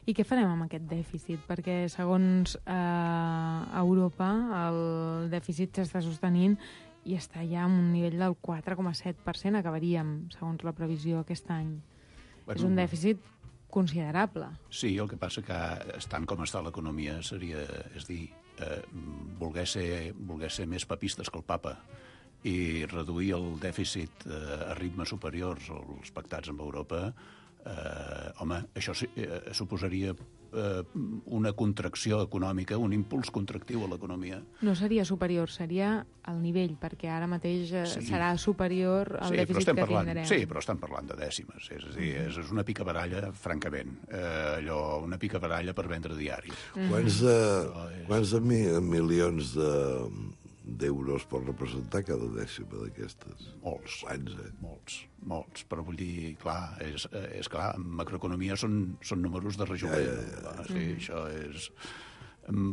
I què farem amb aquest dèficit? Perquè, segons eh, Europa, el dèficit s'està sostenint i està ja en un nivell del quatre coma set per cent, acabaríem, segons la previsió, aquest any. Bueno, és un dèficit considerable. Sí, el que passa que, estant com està l'economia, seria, és dir, eh, voler, ser, voler ser més papistes que el papa i reduir el dèficit eh, a ritmes superiors als pactats amb Europa, eh, home, això eh, suposaria eh, una contracció econòmica, un impuls contractiu a l'economia. No seria superior, seria al nivell, perquè ara mateix eh, Sí. serà superior al Sí, dèficit estem que parlant, tindrem. sí, però estem parlant de dècimes. És a dir, és, és una picabaralla, francament. Eh, allò, una picabaralla per vendre diaris. Quants, de, quants de mi, milions de, d'euros pot representar cada dècima d'aquestes? Molts. Quants, eh? Molts, molts. Però vull dir, clar, és, és clar, en macroeconomia són, són números de rejoler. Ja, ja, ja. No? Sí, mm. això és...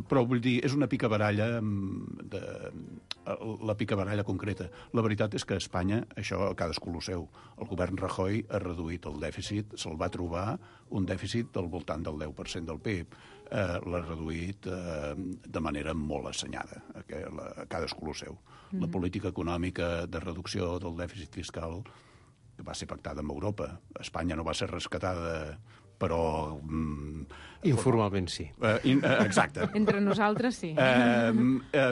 Però vull dir, és una picabaralla de, la picabaralla concreta. La veritat és que a Espanya, això cadascú lo seu, el govern Rajoy ha reduït el dèficit, se'l va trobar un dèficit del voltant del deu per cent del P I B. Eh, l'ha reduït eh, de manera molt assenyada, que la, cadascú lo seu. Mm. La política econòmica de reducció del dèficit fiscal que va ser pactada amb Europa. Espanya no va ser rescatada, però... Mm, informalment sí. Eh, in, eh, exacte. Entre nosaltres sí. Eh, eh,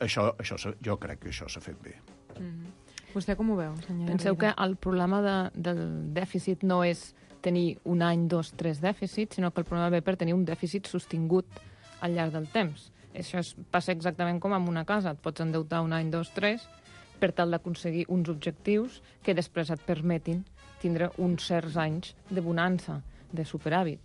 això, això, jo crec que això s'ha fet bé. Mm. Vostè com ho veu, senyora? Penseu que Rivera? el problema de, del dèficit no és tenir un any, dos, tres dèficits, sinó que el problema ve per tenir un dèficit sostingut al llarg del temps. Això és, passa exactament com amb una casa. Et pots endeutar un any, dos, tres, per tal d'aconseguir uns objectius que després et permetin tindre uns certs anys de bonança, de superàvit.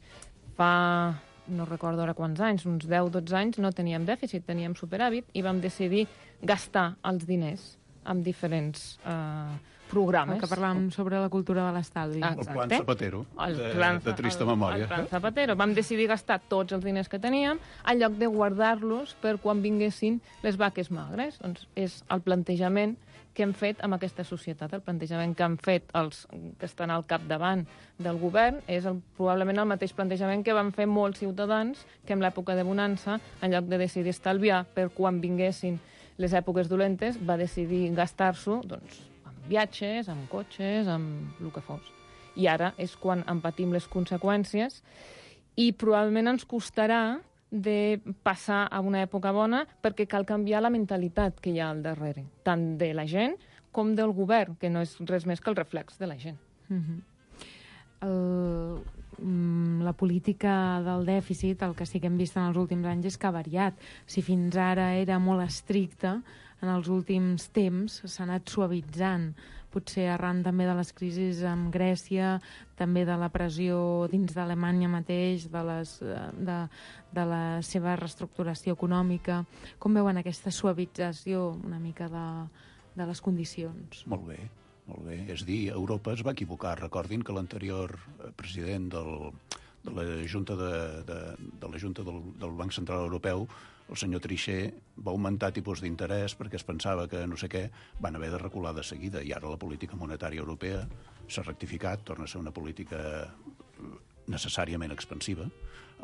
Fa, no recordo ara quants anys, uns deu o dotze anys no teníem dèficit, teníem superàvit i vam decidir gastar els diners amb diferents eh, programes. El que parlàvem sobre la cultura de l'estalvi. El plan Zapatero, El de, plan, de trista memòria. El, el plan Zapatero. Vam decidir gastar tots els diners que teníem en lloc de guardar-los per quan vinguessin les vaques magres. Doncs és el plantejament que hem fet amb aquesta societat. El plantejament que han fet els que estan al capdavant del govern és el, probablement el mateix plantejament que van fer molts ciutadans que en l'època de bonança, en lloc de decidir estalviar per quan vinguessin les èpoques dolentes, va decidir gastar-s'ho doncs, amb viatges, amb cotxes, amb el que fos. I ara és quan en patim les conseqüències i probablement ens costarà de passar a una època bona perquè cal canviar la mentalitat que hi ha al darrere, tant de la gent com del govern, que no és res més que el reflex de la gent. Mm-hmm. el, mm, la política del dèficit, el que sí que hem vist en els últims anys és que ha variat. Si fins ara era molt estricta, en els últims temps s'ha anat suavitzant, potser arran també de les crisis amb Grècia, també de la pressió dins d'Alemanya mateix, de, les, de, de la seva reestructuració econòmica. Com veuen aquesta suavització una mica de, de les condicions? Molt bé, molt bé. És dir, Europa es va equivocar. Recordin que l'anterior president del, de la Junta, de, de, de la Junta del, del Banc Central Europeu, el senyor Trichet, va augmentar tipus d'interès perquè es pensava que no sé què, van haver de recular de seguida, i ara la política monetària europea s'ha rectificat, torna a ser una política necessàriament expansiva,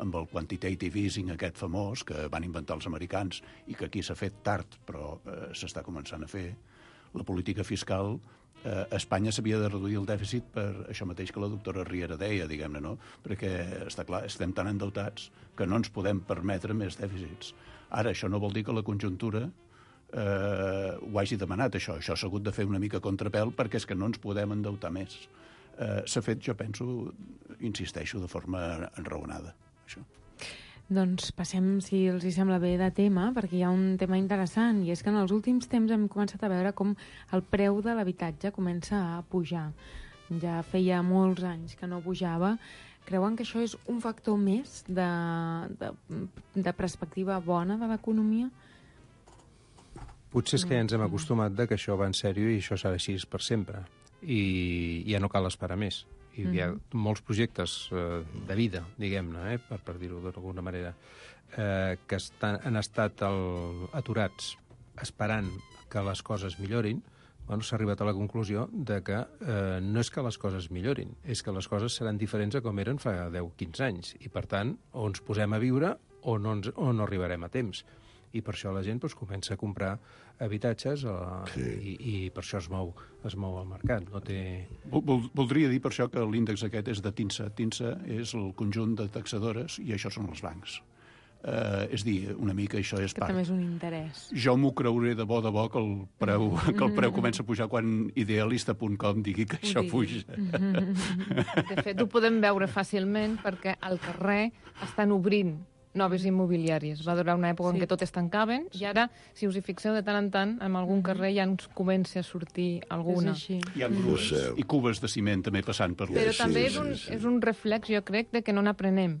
amb el quantitative easing aquest famós que van inventar els americans i que aquí s'ha fet tard, però eh, s'està començant a fer. La política fiscal, eh, a Espanya s'havia de reduir el dèficit per això mateix que la doctora Riera deia, diguem-ne, no? Perquè, està clar, estem tan endeutats que no ens podem permetre més dèficits. Ara, això no vol dir que la conjuntura eh, ho hagi demanat, això. Això s'ha hagut de fer una mica contrapèl perquè és que no ens podem endeutar més. Eh, s'ha fet, jo penso, insisteixo, de forma enraonada, això. Doncs passem, si els hi sembla bé, de tema, perquè hi ha un tema interessant, i és que en els últims temps hem començat a veure com el preu de l'habitatge comença a pujar. Ja feia molts anys que no pujava. Creuen que això és un factor més de, de, de perspectiva bona de l'economia? Potser és que ja ens hem acostumat de que això va en sèrio i això serà així per sempre. I ja no cal esperar més. I mm-hmm. hi ha molts projectes eh, de vida, diguem-ne, eh, per, per dir-ho d'alguna manera, eh, que estan, han estat el, aturats esperant que les coses millorin. Bueno, s'ha arribat a la conclusió de que eh, no és que les coses millorin, és que les coses seran diferents a com eren fa deu o quinze anys. I, per tant, o ens posem a viure o no, ens, o no arribarem a temps. I per això la gent doncs, comença a comprar habitatges eh, sí. i, i per això es mou, es mou el mercat. No té... Vol, voldria dir per això que l'índex aquest és de TINSA. TINSA és el conjunt de taxadores i això són els bancs. Uh, és dir, una mica això és Que part. també és un interès. Jo m'ho creuré de bo de bo que el preu, que el preu comença a pujar quan idealista punt com digui que això puja. De fet, ho podem veure fàcilment perquè al carrer estan obrint noves immobiliàries. Va durar una època sí. en què tot es tancaven i ara, si us hi fixeu de tant en tant, en algun carrer ja ens comença a sortir alguna. És així. Hi ha grues i cubes de ciment també passant per Però les... també sí, és un, sí, sí. és un reflex, jo crec, de que no n'aprenem,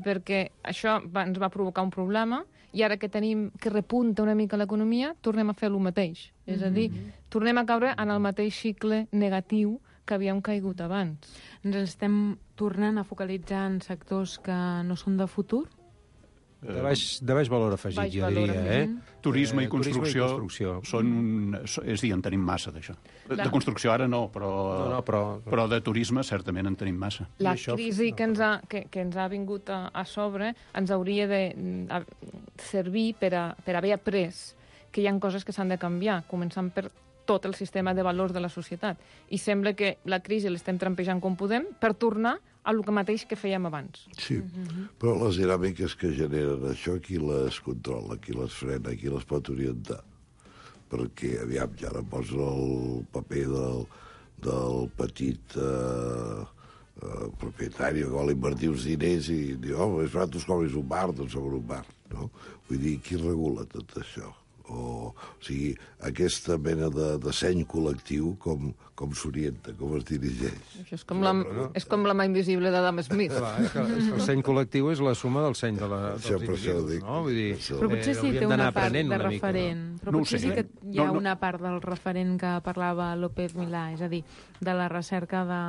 perquè això va, ens va provocar un problema i ara que tenim que repunta una mica l'economia, tornem a fer el mateix. És a dir, tornem a caure en el mateix cicle negatiu que havíem caigut abans. Ens estem tornant a focalitzar en sectors que no són de futur? De baix, de baix valor afegit, Baix jo valor diria. afegit. Eh? Turisme i Eh, construcció, turisme i construcció. són un... És dir, en tenim massa, d'això. De, de construcció ara no, però, No, no, però... però de turisme certament en tenim massa. La I això- crisi que ens ha, que, que ens ha vingut a, a sobre ens hauria de mm, a, servir per, a, per haver après que hi ha coses que s'han de canviar, començant per tot el sistema de valors de la societat. I sembla que la crisi l'estem trampejant com podem per tornar a el mateix que fèiem abans. Sí, però les dinàmiques que generen això, qui les controla, qui les frena, qui les pot orientar? Perquè, aviam, ja ara posa el paper del, del petit eh, eh, propietari que vol invertir uns diners i diu, oh, és barat, us comis un bar, doncs sobre un bar, no? Vull dir, qui regula tot això? O, o sigui, aquesta mena de, de seny col·lectiu com, com s'orienta, com es dirigeix. Això és com, la, és com la mà invisible d'Adam Smith. Clar, és que, és que el seny col·lectiu és la suma del seny de la, dels Això, per això ho individus, dic. no? Vull dir, Això. Però potser eh, sí hauríem té una d'anar part aprenent de una mica, referent. no? Però No ho potser sé, sí que eh? hi ha No, no. una part del referent que parlava López Milà, és a dir, de la recerca de,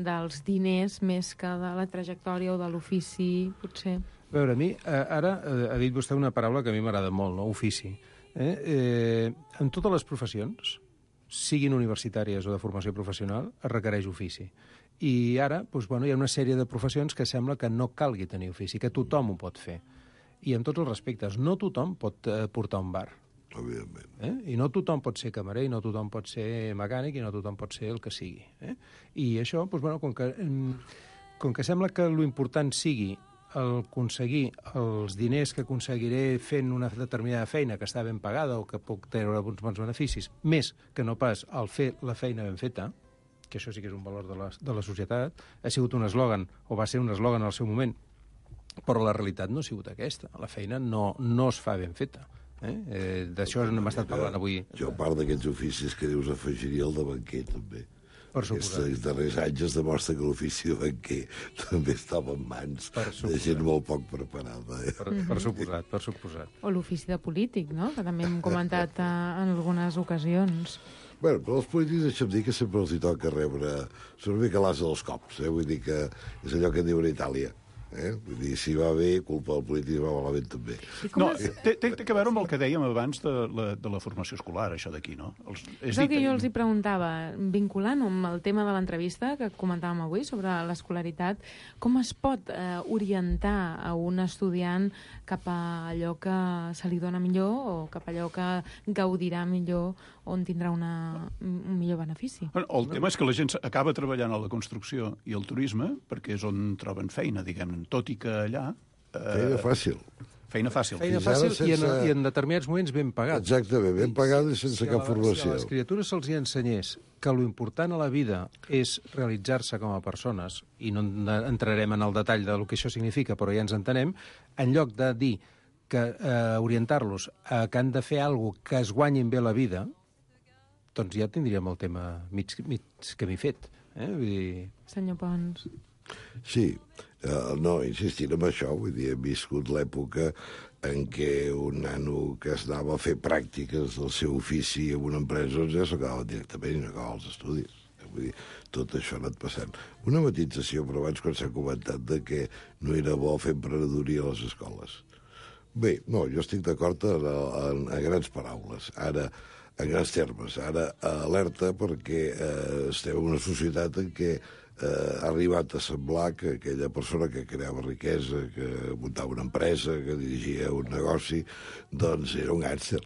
dels diners més que de la trajectòria o de l'ofici, potser. A veure, a mi, eh, ara eh, ha dit vostè una paraula que a mi m'agrada molt, no? Ofici. Eh? Eh, en totes les professions, siguin universitàries o de formació professional, es requereix ofici. I ara doncs, bueno, hi ha una sèrie de professions que sembla que no calgui tenir ofici, que tothom ho pot fer. I en tots els respectes, no tothom pot eh, portar un bar. Òbviament. Eh? I no tothom pot ser camarer, i no tothom pot ser mecànic, i no tothom pot ser el que sigui. Eh? I això, doncs, bueno, com que, com que sembla que l'important sigui el aconseguir els diners que aconseguiré fent una determinada feina que està ben pagada o que puc treure uns bons beneficis, més que no pas el fer la feina ben feta, que això sí que és un valor de la, de la societat, ha sigut un eslògan, o va ser un eslògan al seu moment, però la realitat no ha sigut aquesta. La feina no, no es fa ben feta. Eh? Eh, D'això n'hem estat parlant avui. Jo, a part d'aquests oficis que dius, afegiria el de banquer, també. Per suposat. Aquests darrers anys es demostra que l'ofici de banquer també estava en mans Per de suposat. gent molt poc preparada. Eh? Per, per suposat, per suposat. O l'ofici de polític, no? Que també hem comentat eh, en algunes ocasions. Bueno, però els polítics, deixa'm dir que sempre els hi toca rebre... Són una mica l'asa dels cops, eh? Vull dir que és allò que diuen a Itàlia. Eh? Vull dir, si va bé, culpa del polític, si va malament també. No, té, té, té que veure amb el que dèiem abans de la, de la formació escolar, això d'aquí, no? Els, És el que jo els hi preguntava, vinculant amb el tema de l'entrevista que comentàvem avui sobre l'escolaritat, com es pot eh, orientar a un estudiant cap a allò que se li dona millor o cap a allò que gaudirà millor, on tindrà una, un millor benefici? Bueno, el tema és que la gent acaba treballant a la construcció i el turisme perquè és on troben feina, diguem-ne, tot i que allà... Eh, Feina fàcil. Feina fàcil. Feina Fins ara fàcil i, en, sense- i en determinats moments ben pagats. Exactament, ben pagada i sense Si a cap la- formació. Si a les criatures se'ls hi ensenyés que lo important a la vida és realitzar-se com a persones, i no en- entrarem en el detall de lo que això significa, però ja ens entenem, en lloc de dir que eh, orientar-los a que han de fer alguna que es guanyin bé la vida, doncs ja tindríem el tema mig, mig camí fet. Eh? Vull dir... Senyor Pons. Sí, uh, no, insistint en això, vull dir, hem viscut l'època en què un nano que es anava a fer pràctiques del seu ofici en una empresa doncs ja s'acabava directament i no acabava els estudis. Vull dir, tot això ha anat passant. Una matització, però abans quan s'ha comentat de que no era bo fer emprenedoria a les escoles. Bé, no, jo estic d'acord en, en, en grans paraules. Ara, en grans termes, ara alerta perquè eh, estem en una societat en què eh, ha arribat a semblar que aquella persona que creava riquesa, que muntava una empresa, que dirigia un negoci, doncs era un gàngster.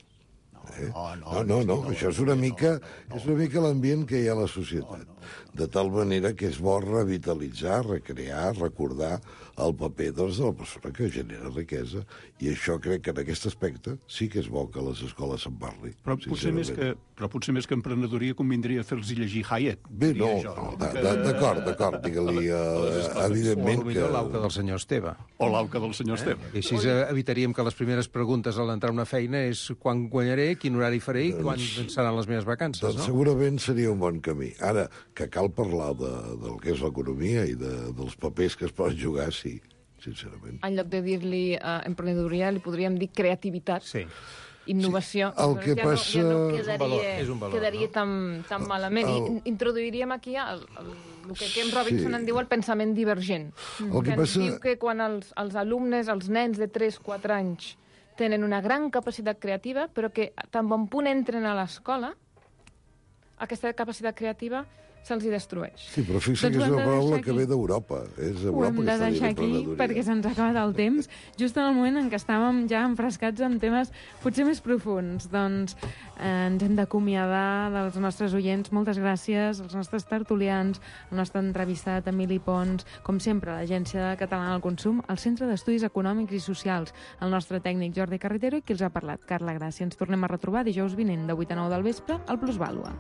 Eh? No, no, no, no, no, no, això és una no, mica, no, no. és una mica l'ambient que hi ha a la societat. No, no. De tal manera que és bo revitalitzar, recrear, recordar el paper doncs, de la persona que genera riquesa. I això crec que en aquest aspecte sí que és bo que a les escoles se'n parli. Però potser, més que, però potser més que emprenedoria convindria fer-los llegir Hayek. Bé, no, jo, no d'acord, d'acord, digue-li uh, evidentment o que... O l'auca del senyor Esteve. O l'auca del senyor eh? Esteve. I així evitaríem que les primeres preguntes a l'entrar a una feina és quan guanyaré, quin horari faré i quan seran les meves vacances, doncs no? segurament seria un bon camí. Ara, que cal parlar de, del que és l'economia i de, dels papers que es poden jugar, sí, sincerament. En lloc de dir-li uh, emprenedoria, li podríem dir creativitat. Sí. Innovació. Sí. El que ja passa... No, ja no És un quedaria, valor, és un valor, quedaria no? tan, tan malament. El- I introduiríem aquí el, el, el que Ken Robinson Sí. en diu el pensament divergent. El que que ens passa- diu que quan els, els alumnes, els nens de tres quatre anys, tenen una gran capacitat creativa, però que tan bon punt entren a l'escola, aquesta capacitat creativa se'ls hi destrueix. Sí, però fixa Doncs que és ho hem una de paraula deixar que aquí. ve d'Europa. És Ho Europa hem que de està dient deixar aquí emprenedoria. perquè se'ns ha acabat el temps, just en el moment en què estàvem ja enfrescats en temes potser més profuns. Doncs eh, ens hem d'acomiadar dels nostres oients. Moltes gràcies als nostres tertulians, al nostre entrevistat Emili Pons, com sempre, a l'Agència Catalana del Consum, al Centre d'Estudis Econòmics i Socials, el nostre tècnic Jordi Carretero i qui els ha parlat, Carla Gràcia. Ens tornem a retrobar dijous vinent de vuit a nou del vespre al Plusvàlua.